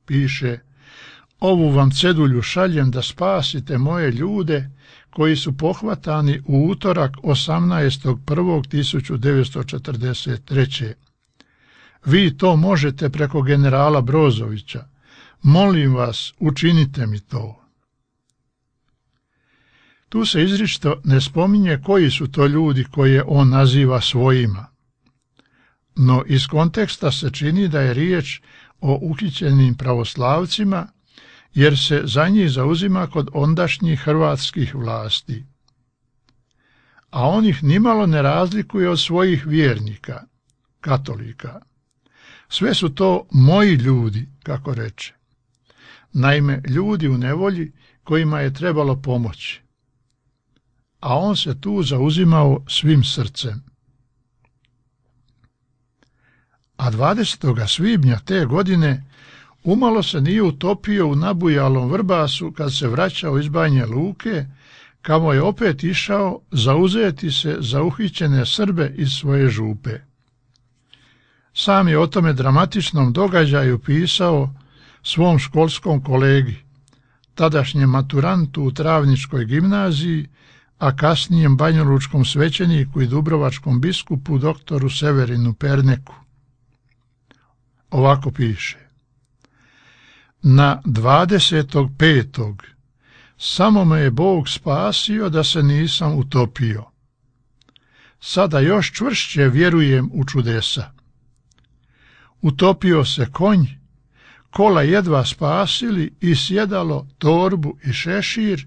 Piše: ovu vam cedulju šaljem da spasite moje ljude koji su pohvatani u utorak 18.1.1943. Vi to možete preko generala Brozovića. Molim vas, učinite mi to. Tu se izričito ne spominje koji su to ljudi koje on naziva svojima, no iz konteksta se čini da je riječ o uhićenim pravoslavcima, jer se za njih zauzima kod ondašnjih hrvatskih vlasti. A on ih nimalo ne razlikuje od svojih vjernika, katolika. Sve su to moji ljudi, kako reče. Naime, ljudi u nevolji kojima je trebalo pomoći. A on se tu zauzimao svim srcem. A 20. svibnja te godine umalo se nije utopio u nabujalom Vrbasu kad se vraćao iz Banja Luke, kamo je opet išao zauzeti se za uhićene Srbe iz svoje župe. Sam je o tome dramatičnom događaju pisao svom školskom kolegi, tadašnjem maturantu u Travničkoj gimnaziji, a kasnijem banjalučkom svećeniku i dubrovačkom biskupu doktoru Severinu Perneku. Ovako piše: na 25. samo me je Bog spasio da se nisam utopio. Sada još čvršće vjerujem u čudesa. Utopio se konj, kola jedva spasili i sjedalo torbu i šešir,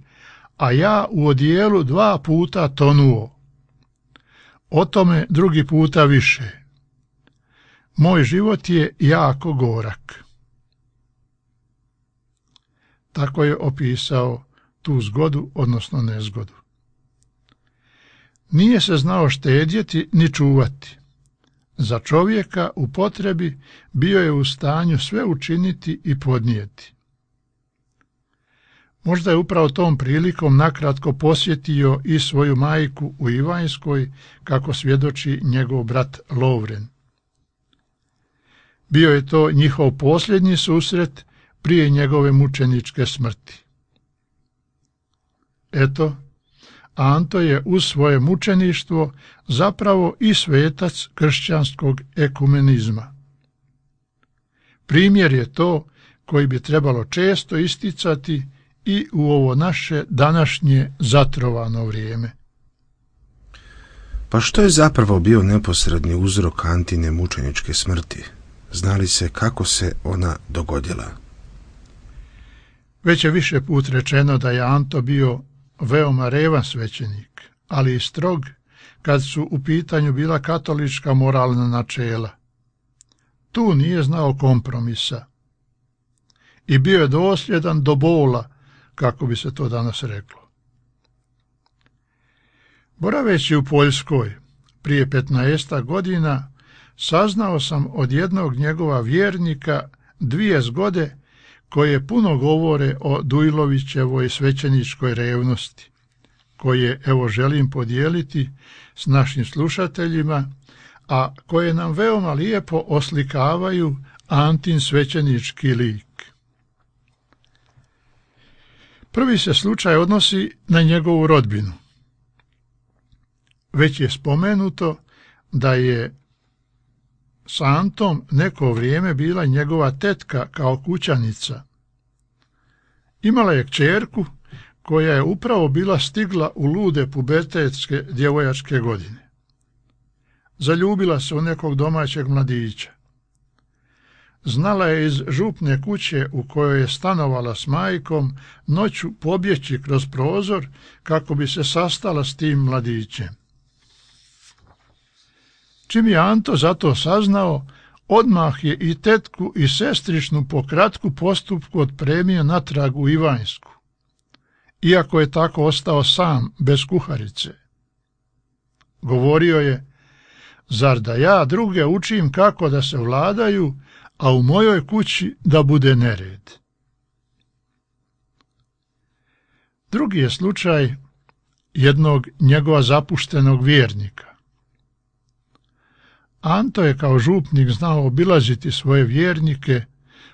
a ja u odijelu 2 puta tonuo. O tome drugi puta više. Moj život je jako gorak. Tako je opisao tu zgodu, odnosno nezgodu. Nije se znao štedjeti ni čuvati. Za čovjeka u potrebi bio je u stanju sve učiniti i podnijeti. Možda je upravo tom prilikom nakratko posjetio i svoju majku u Ivanjskoj, kako svjedoči njegov brat Lovren. Bio je to njihov posljednji susret prije njegove mučeničke smrti. Eto, Anto je uz svoje mučeništvo zapravo i svetac kršćanskog ekumenizma. Primjer je to koji bi trebalo često isticati i u ovo naše današnje zatrovano vrijeme. Pa što je zapravo bio neposredni uzrok Antine mučeničke smrti? Zna li se kako se ona dogodila? Već je više put rečeno da je Anto bio veoma revan svećenik, ali i strog kad su u pitanju bila katolička moralna načela. Tu nije znao kompromisa i bio je dosljedan do bola, kako bi se to danas reklo. Boraveći u Poljskoj prije 15 godina, saznao sam od jednog njegova vjernika 2 zgode koje puno govore o Dujlovićevoj svećeničkoj revnosti, koje evo želim podijeliti s našim slušateljima, a koje nam veoma lijepo oslikavaju Antin svećenički lik. Prvi se slučaj odnosi na njegovu rodbinu. Već je spomenuto da je s Antom neko vrijeme bila njegova tetka kao kućanica. Imala je kćerku koja je upravo bila stigla u lude pubertetske djevojačke godine. Zaljubila se u nekog domaćeg mladića. Znala je iz župne kuće u kojoj je stanovala s majkom noću pobjeći kroz prozor kako bi se sastala s tim mladićem. Čim je Anto za to saznao, odmah je i tetku i sestričnu po kratku postupku otpremio natrag u Ivanjsku, iako je tako ostao sam, bez kuharice. Govorio je, zar da ja druge učim kako da se vladaju, a u mojoj kući da bude nered. Drugi je slučaj jednog njegova zapuštenog vjernika. Anto je kao župnik znao obilaziti svoje vjernike,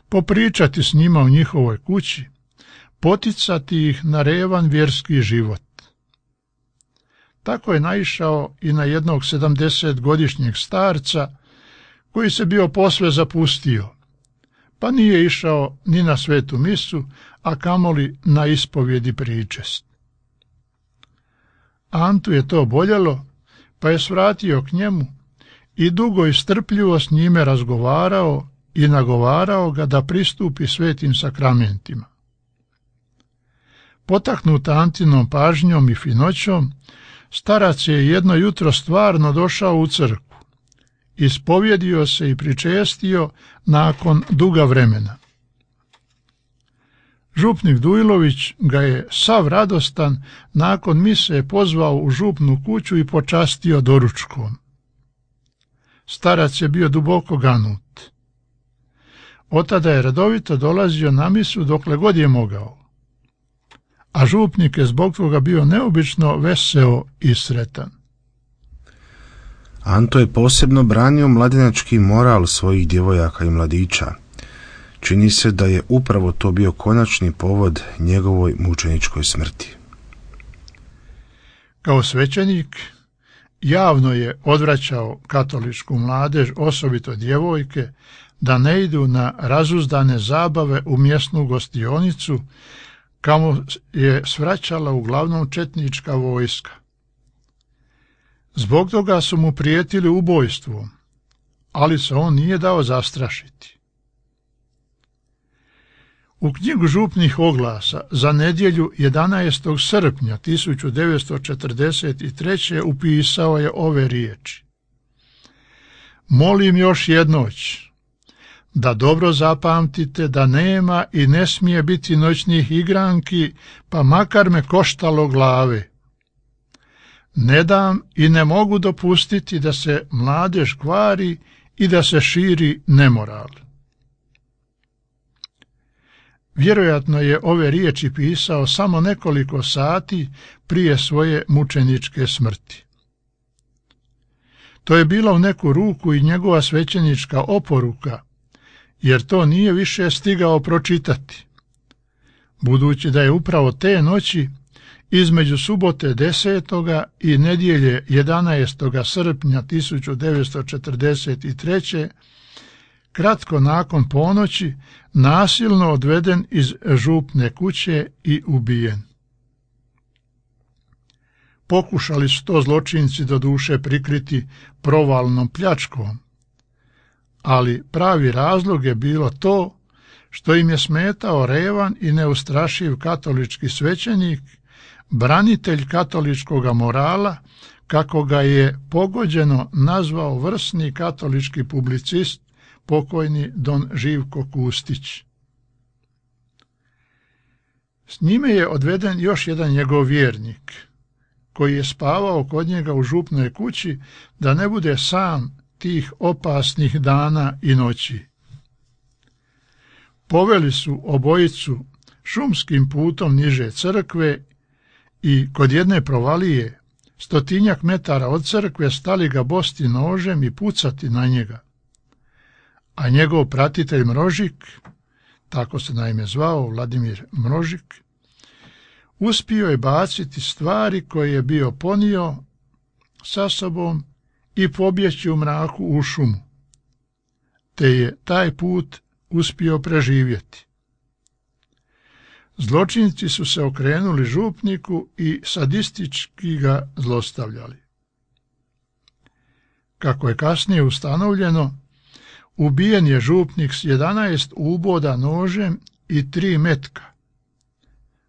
popričati s njima u njihovoj kući, poticati ih na revan vjerski život. Tako je naišao i na jednog 70-godišnjeg starca koji se bio posve zapustio, pa nije išao ni na svetu misu, a kamoli na ispovjedi pričest. Antu je to boljelo, pa je svratio k njemu i dugo i strpljivo s njime razgovarao i nagovarao ga da pristupi svetim sakramentima. Potaknut Antinom pažnjom i finoćom, starac je jedno jutro stvarno došao u crkvu, ispovjedio se i pričestio nakon duga vremena. Župnik Dujlović ga je sav radostan nakon mise pozvao u župnu kuću i počastio doručkom. Starac je bio duboko ganut. Otada je redovito dolazio na misu dokle god je mogao, a župnik je zbog toga bio neobično veseo i sretan. Anto je posebno branio mladenački moral svojih djevojaka i mladića. Čini se da je upravo to bio konačni povod njegovoj mučeničkoj smrti. Kao svećenik javno je odvraćao katoličku mladež, osobito djevojke, da ne idu na razuzdane zabave u mjesnu gostionicu, kamo je svraćala uglavnom četnička vojska. Zbog toga su mu prijetili ubojstvom, ali se on nije dao zastrašiti. U knjigu župnih oglasa za nedjelju 11. srpnja 1943. upisao je ove riječi: molim još jednoć da dobro zapamtite da nema i ne smije biti noćnih igranki, pa makar me koštalo glave. Ne dam i ne mogu dopustiti da se mladež kvari i da se širi nemoral. Vjerojatno je ove riječi pisao samo nekoliko sati prije svoje mučeničke smrti. To je bila u neku ruku i njegova svećenička oporuka, jer to nije više stigao pročitati, budući da je upravo te noći između subote 10. i nedjelje 11. srpnja 1943. kratko nakon ponoći nasilno odveden iz župne kuće i ubijen. Pokušali su to zločinci doduše prikriti provalnom pljačkom, ali pravi razlog je bilo to što im je smetao revan i neustrašiv katolički svećenik, branitelj katoličkoga morala, kako ga je pogođeno nazvao vrsni katolički publicist pokojni don Živko Kustić. S njime je odveden još jedan njegov vjernik, koji je spavao kod njega u župnoj kući da ne bude sam tih opasnih dana i noći. Poveli su obojicu šumskim putom niže crkve i kod jedne provalije 100 metara od crkve stali ga bosti nožem i pucati na njega. A njegov pratitelj Mrožik, tako se naime zvao Vladimir Mrožik, uspio je baciti stvari koje je bio ponio sa sobom i pobjeći u mraku u šumu, te je taj put uspio preživjeti. Zločinci su se okrenuli župniku i sadistički ga zlostavljali. Kako je kasnije ustanovljeno, ubijen je župnik s 11 uboda nožem i 3 metka,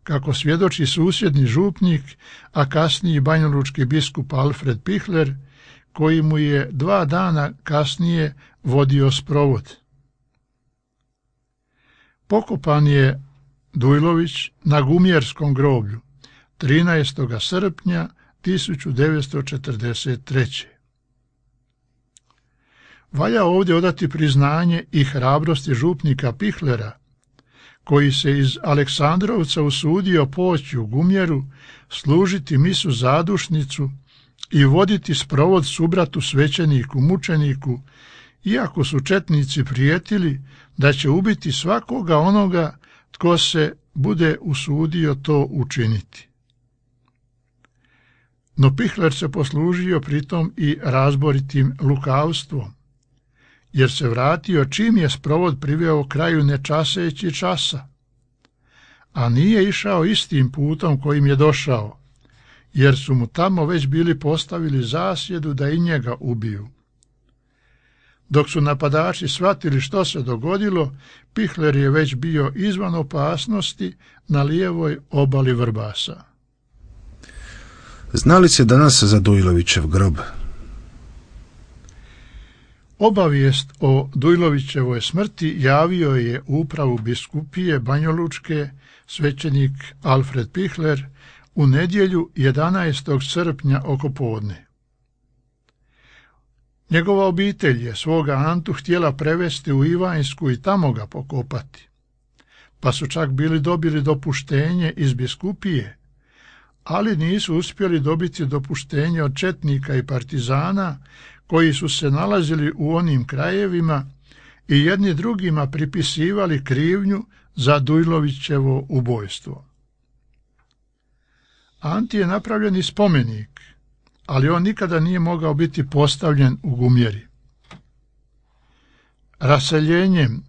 kako svjedoči susjedni župnik, a kasniji banjalučki biskup Alfred Pihler, koji mu je 2 dana kasnije vodio sprovod. Pokopan je Dujlović na Gumjerskom groblju 13. srpnja 1943. Valja ovdje odati priznanje i hrabrosti župnika Pihlera, koji se iz Aleksandrovca usudio poći u Gumjeru, služiti misu zadušnicu i voditi sprovod subratu svećeniku mučeniku, iako su četnici prijetili da će ubiti svakoga onoga tko se bude usudio to učiniti. No Pihler se poslužio pritom i razboritim lukavstvom, jer se vratio čim je sprovod priveo kraju nečaseći časa, a nije išao istim putom kojim je došao, jer su mu tamo već bili postavili zasjedu da i njega ubiju. Dok su napadači shvatili što se dogodilo, Pihler je već bio izvan opasnosti na lijevoj obali Vrbasa. Zna li se danas za Dujlovićev grob? Obavijest o Dujlovićevoj smrti javio je upravu biskupije Banjalučke svećenik Alfred Pihler u nedjelju 11. srpnja oko podne. Njegova obitelj je svoga Antu htjela prevesti u Ivanjsku i tamo ga pokopati, pa su čak bili dobili dopuštenje iz biskupije, ali nisu uspjeli dobiti dopuštenje od četnika i partizana koji su se nalazili u onim krajevima i jedni drugima pripisivali krivnju za Dujlovićevo ubojstvo. Anti je napravljen i spomenik, ali on nikada nije mogao biti postavljen u Gumjeri. Raseljenjem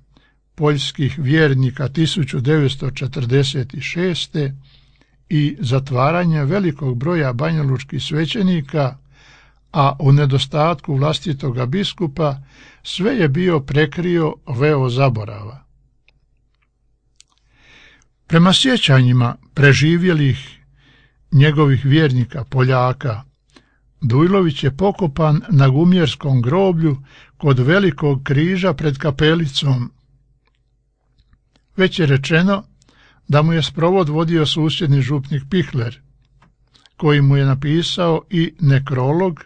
poljskih vjernika 1946. i zatvaranjem velikog broja banjalučkih svećenika, a u nedostatku vlastitoga biskupa, sve je bio prekrio veo zaborava. Prema sjećanjima preživjelih njegovih vjernika Poljaka, Dujlović je pokopan na Gumjerskom groblju kod velikog križa pred kapelicom. Već je rečeno da mu je sprovod vodio susjedni župnik Pihler, koji mu je napisao i nekrolog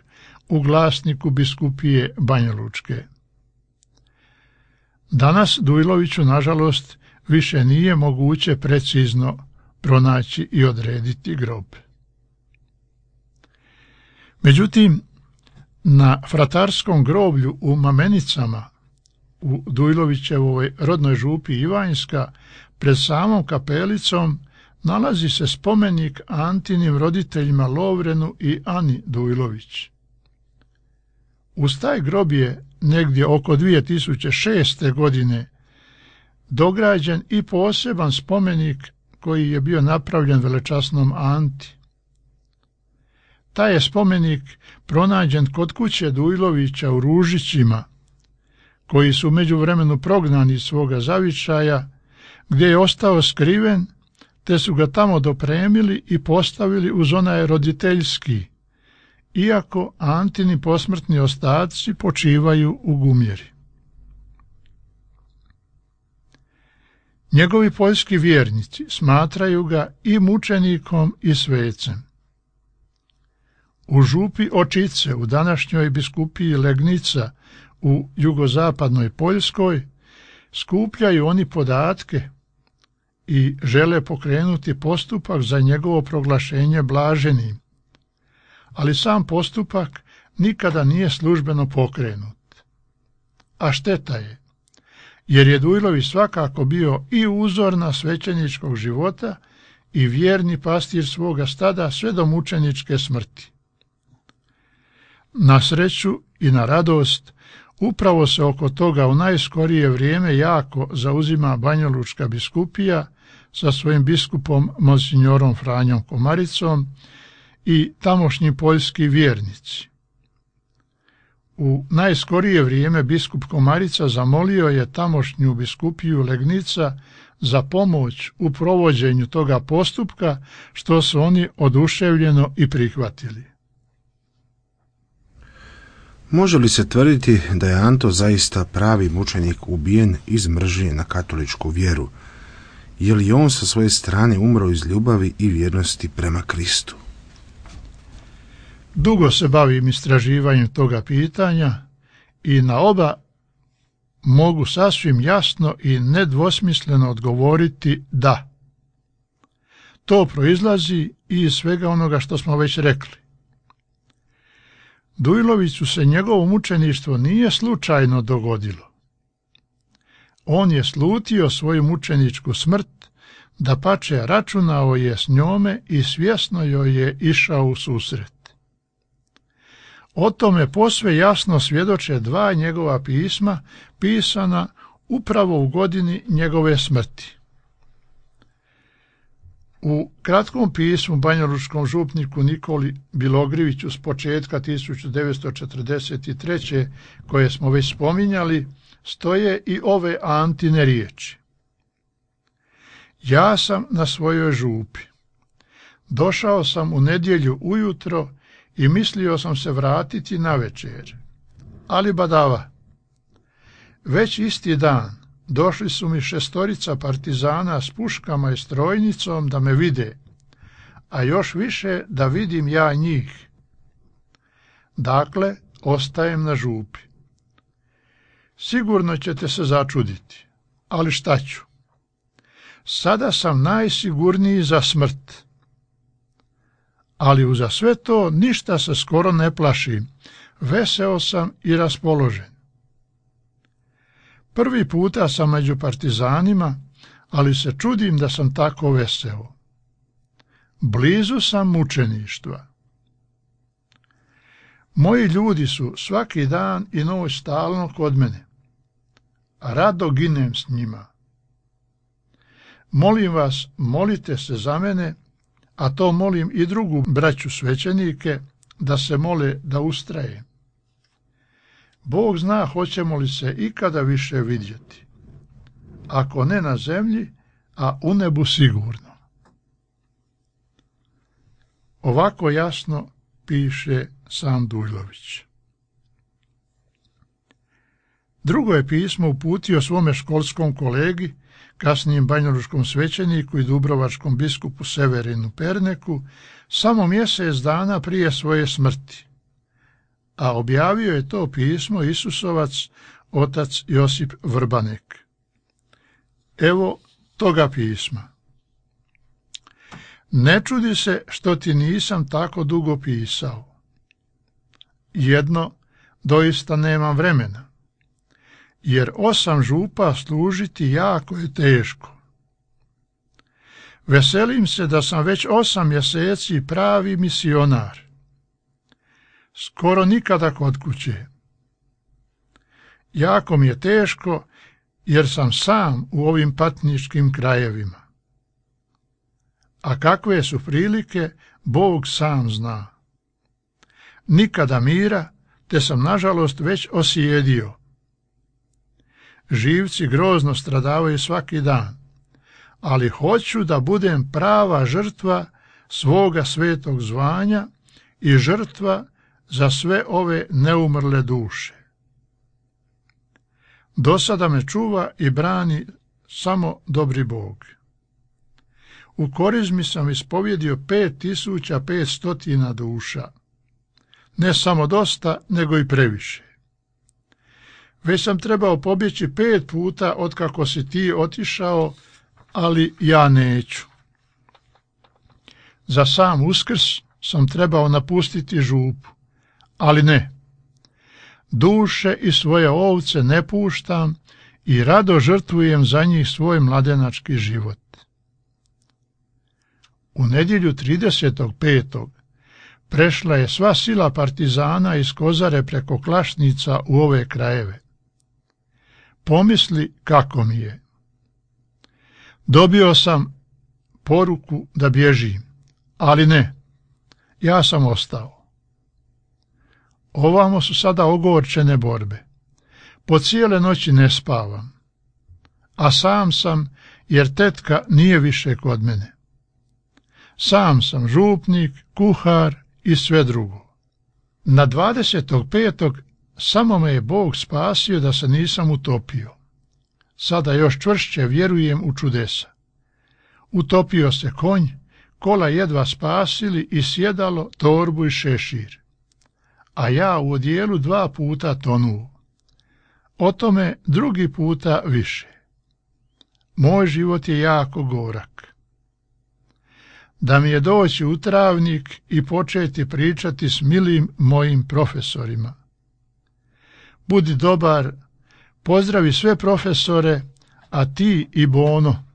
u glasniku biskupije Banjalučke. Danas Dujloviću, nažalost, više nije moguće precizno pronaći i odrediti grob. Međutim, na fratarskom groblju u Mamenicama u Dujlovićevoj rodnoj župi Ivanjska, pred samom kapelicom, nalazi se spomenik Antinim roditeljima Lovrenu i Ani Dujlović. Uz taj grob je negdje oko 2006. godine dograđen i poseban spomenik koji je bio napravljen velečasnom Anti. Taj je spomenik pronađen kod kuće Dujlovića u Ružićima, koji su u međuvremenu prognani iz svoga zavičaja, gdje je ostao skriven, te su ga tamo dopremili i postavili uz onaj roditeljski, iako Antini posmrtni ostaci počivaju u Gumjeri. Njegovi poljski vjernici smatraju ga i mučenikom i svecem. U župi Očice, u današnjoj biskupiji Legnica u jugozapadnoj Poljskoj, skupljaju oni podatke i žele pokrenuti postupak za njegovo proglašenje blaženim, ali sam postupak nikada nije službeno pokrenut. A šteta je, jer je Dujlović svakako bio i uzorna svećeničkog života i vjerni pastir svoga stada sve do mučeničke smrti. Na sreću i na radost, upravo se oko toga u najskorije vrijeme jako zauzima banjalučka biskupija sa svojim biskupom monsignorom Franjom Komaricom i tamošnji poljski vjernici. U najskorije vrijeme biskup Komarica zamolio je tamošnju biskupiju Legnica za pomoć u provođenju toga postupka, što su oni oduševljeno i prihvatili. Može li se tvrditi da je Anto zaista pravi mučenik ubijen iz mržnje na katoličku vjeru? Je li on sa svoje strane umro iz ljubavi i vjernosti prema Kristu? Dugo se bavim istraživanjem toga pitanja i na oba mogu sasvim jasno i nedvosmisleno odgovoriti da. To proizlazi iz svega onoga što smo već rekli. Dujloviću se njegovo mučeništvo nije slučajno dogodilo. On je slutio svoju mučeničku smrt, dapače računao je s njome i svjesno joj je išao u susret. O tome posve jasno svjedoče dva njegova pisma, pisana upravo u godini njegove smrti. U kratkom pismu banjalučkom župniku Nikoli Bilogriviću s početka 1943. koje smo već spominjali, stoje i ove Antine riječi. Ja sam na svojoj župi. Došao sam u nedjelju ujutro i mislio sam se vratiti na večer. Ali badava. Već isti dan došli su mi 6 partizana s puškama i strojnicom da me vide, a još više da vidim ja njih. Dakle, ostajem na župi. Sigurno ćete se začuditi, ali šta ću? Sada sam najsigurniji za smrt. Ali uza sve to ništa se skoro ne plašim, veseo sam i raspoložen. Prvi puta sam među partizanima, ali se čudim da sam tako veseo. Blizu sam mučeništva. Moji ljudi su svaki dan i noć stalno kod mene. Rado ginem s njima. Molim vas, molite se za mene, a to molim i drugu braću svećenike, da se mole da ustrajem. Bog zna hoćemo li se ikada više vidjeti. Ako ne na zemlji, a u nebu sigurno. Ovako jasno piše sam Dujlović. Drugo je pismo uputio svome školskom kolegi, kasnijem banjalučkom svećeniku i dubrovačkom biskupu Severinu Perneku, samo mjesec dana prije svoje smrti, a objavio je to pismo Isusovac otac Josip Vrbanek. Evo toga pisma. Ne čudi se što ti nisam tako dugo pisao. Jedno, doista nemam vremena. jer 8 župa služiti jako je teško. Veselim se da sam već 8 mjeseci pravi misionar. Skoro nikada kod kuće. Jako mi je teško jer sam sam u ovim patničkim krajevima. A kakve su prilike, Bog sam zna. Nikada mira, te sam nažalost već osjedio. Živci grozno stradavaju svaki dan, ali hoću da budem prava žrtva svoga svetog zvanja i žrtva za sve ove neumrle duše. Do sada me čuva i brani samo dobri Bog. U korizmi sam ispovjedio 5500 duša. Ne samo dosta, nego i previše. Već sam trebao pobjeći 5 puta otkako si ti otišao, ali ja neću. Za sam Uskrs sam trebao napustiti župu, ali ne. Duše i svoje ovce ne puštam i rado žrtvujem za njih svoj mladenački život. U nedjelju 30.5. prešla je sva sila partizana iz Kozare preko Klašnica u ove krajeve. Pomisli kako mi je. Dobio sam poruku da bježim, ali ne, ja sam ostao. Ovamo su sada ogorčene borbe. Po cijele noći ne spavam, a sam sam jer tetka nije više kod mene. Sam sam župnik, kuhar i sve drugo. Na 25. samo me je Bog spasio da se nisam utopio. Sada još čvršće vjerujem u čudesa. Utopio se konj, kola jedva spasili i sjedalo, torbu i šešir. A ja u odijelu 2 puta tonuo. O tome drugi puta više. Moj život je jako gorak. Da mi je doći u Travnik i početi pričati s milim mojim profesorima. Budi dobar, pozdravi sve profesore, a ti i Bono,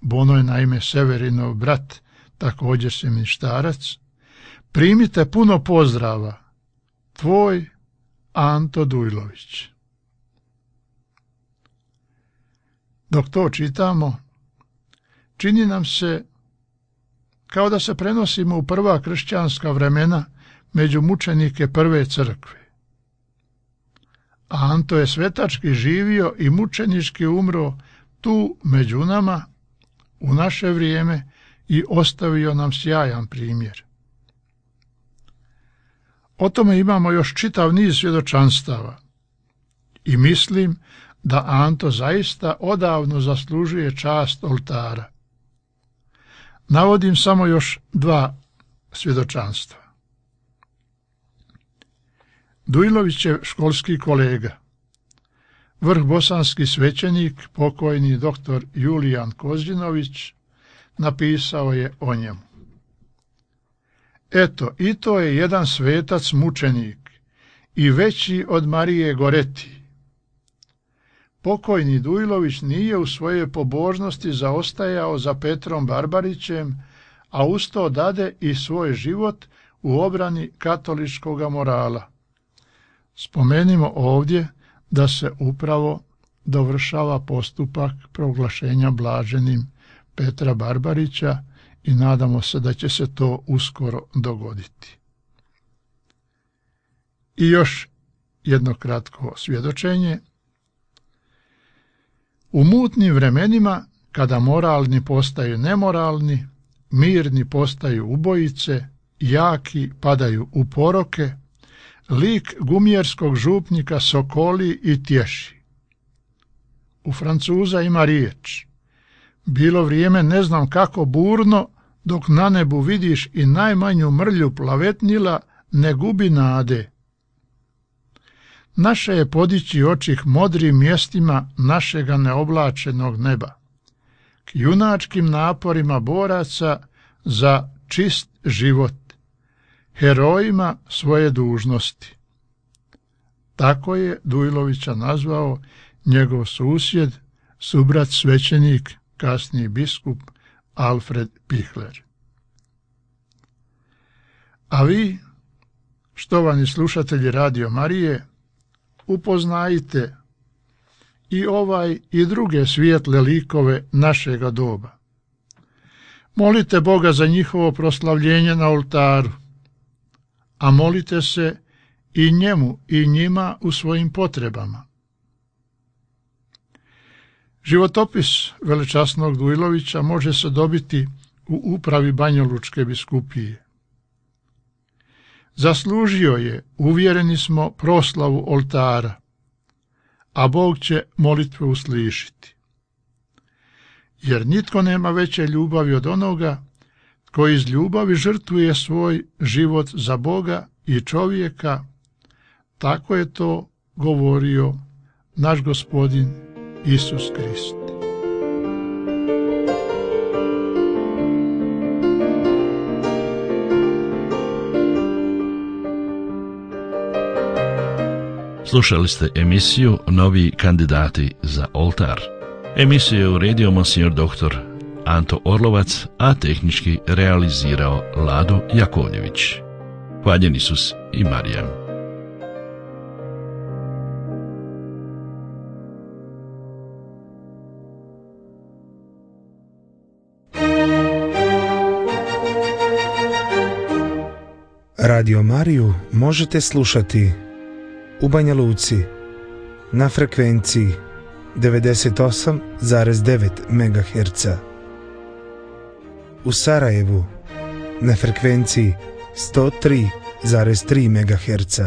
Bono je naime Severinov brat, također seminštarac, primite puno pozdrava. Tvoj Anto Dujlović. Dok to čitamo, čini nam se kao da se prenosimo u prva kršćanska vremena među mučenike prve crkve. Anto je svetački živio i mučenički umro tu među nama u naše vrijeme i ostavio nam sjajan primjer. O tome imamo još čitav niz svjedočanstava i mislim da Anto zaista odavno zaslužuje čast oltara. Navodim samo još 2 svjedočanstva. Dujlovićev školski kolega, vrhbosanski svećenik, pokojni dr. Julijan Kozđinović, napisao je o njemu. Eto, i to je jedan svetac mučenik i veći od Marije Goreti. Pokojni Dujlović nije u svojoj pobožnosti zaostajao za Petrom Barbarićem, a uz to dade i svoj život u obrani katoličkog morala. Spomenimo ovdje da se upravo dovršava postupak proglašenja blaženim Petra Barbarića i nadamo se da će se to uskoro dogoditi. I još jedno kratko svjedočenje. U mutnim vremenima, kada moralni postaju nemoralni, mirni postaju ubojice, jaki padaju u poroke, lik gumjerskog župnika sokoli i tješi. U Francuza ima riječ: bilo vrijeme ne znam kako burno, dok na nebu vidiš i najmanju mrlju plavetnila, ne gubi nade. Naše je podići oči k modrim mjestima našega neoblačenog neba, k junačkim naporima boraca za čist život, herojima svoje dužnosti. Tako je Dujlovića nazvao njegov susjed, subrat svećenik, kasniji biskup Alfred Pichler. A vi, štovani slušatelji Radio Marije, upoznajte i ovaj i druge svijetle likove našega doba. Molite Boga za njihovo proslavljenje na oltaru, a molite se i njemu i njima u svojim potrebama. Životopis velečasnog Dujlovića može se dobiti u upravi Banjalučke biskupije. Zaslužio je, uvjereni smo, proslavu oltara, a Bog će molitve uslišiti. Jer nitko nema veće ljubavi od onoga koji iz ljubavi žrtvuje svoj život za Boga i čovjeka. Tako je to govorio naš Gospodin Isus Krist. Slušali ste emisiju Novi kandidati za oltar. Emisiju je uredio monsignor dr. Anto Orlovac, a tehnički realizirao Lado Jakovljević. Hvaljen Isus i Marija. Radio Mariju možete slušati u Banja Luci na frekvenciji 98,9 MHz, u Sarajevu na frekvenciji 103,3 MHz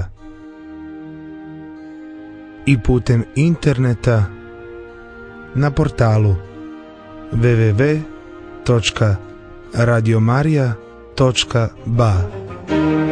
i putem interneta na portalu www.radiomaria.ba.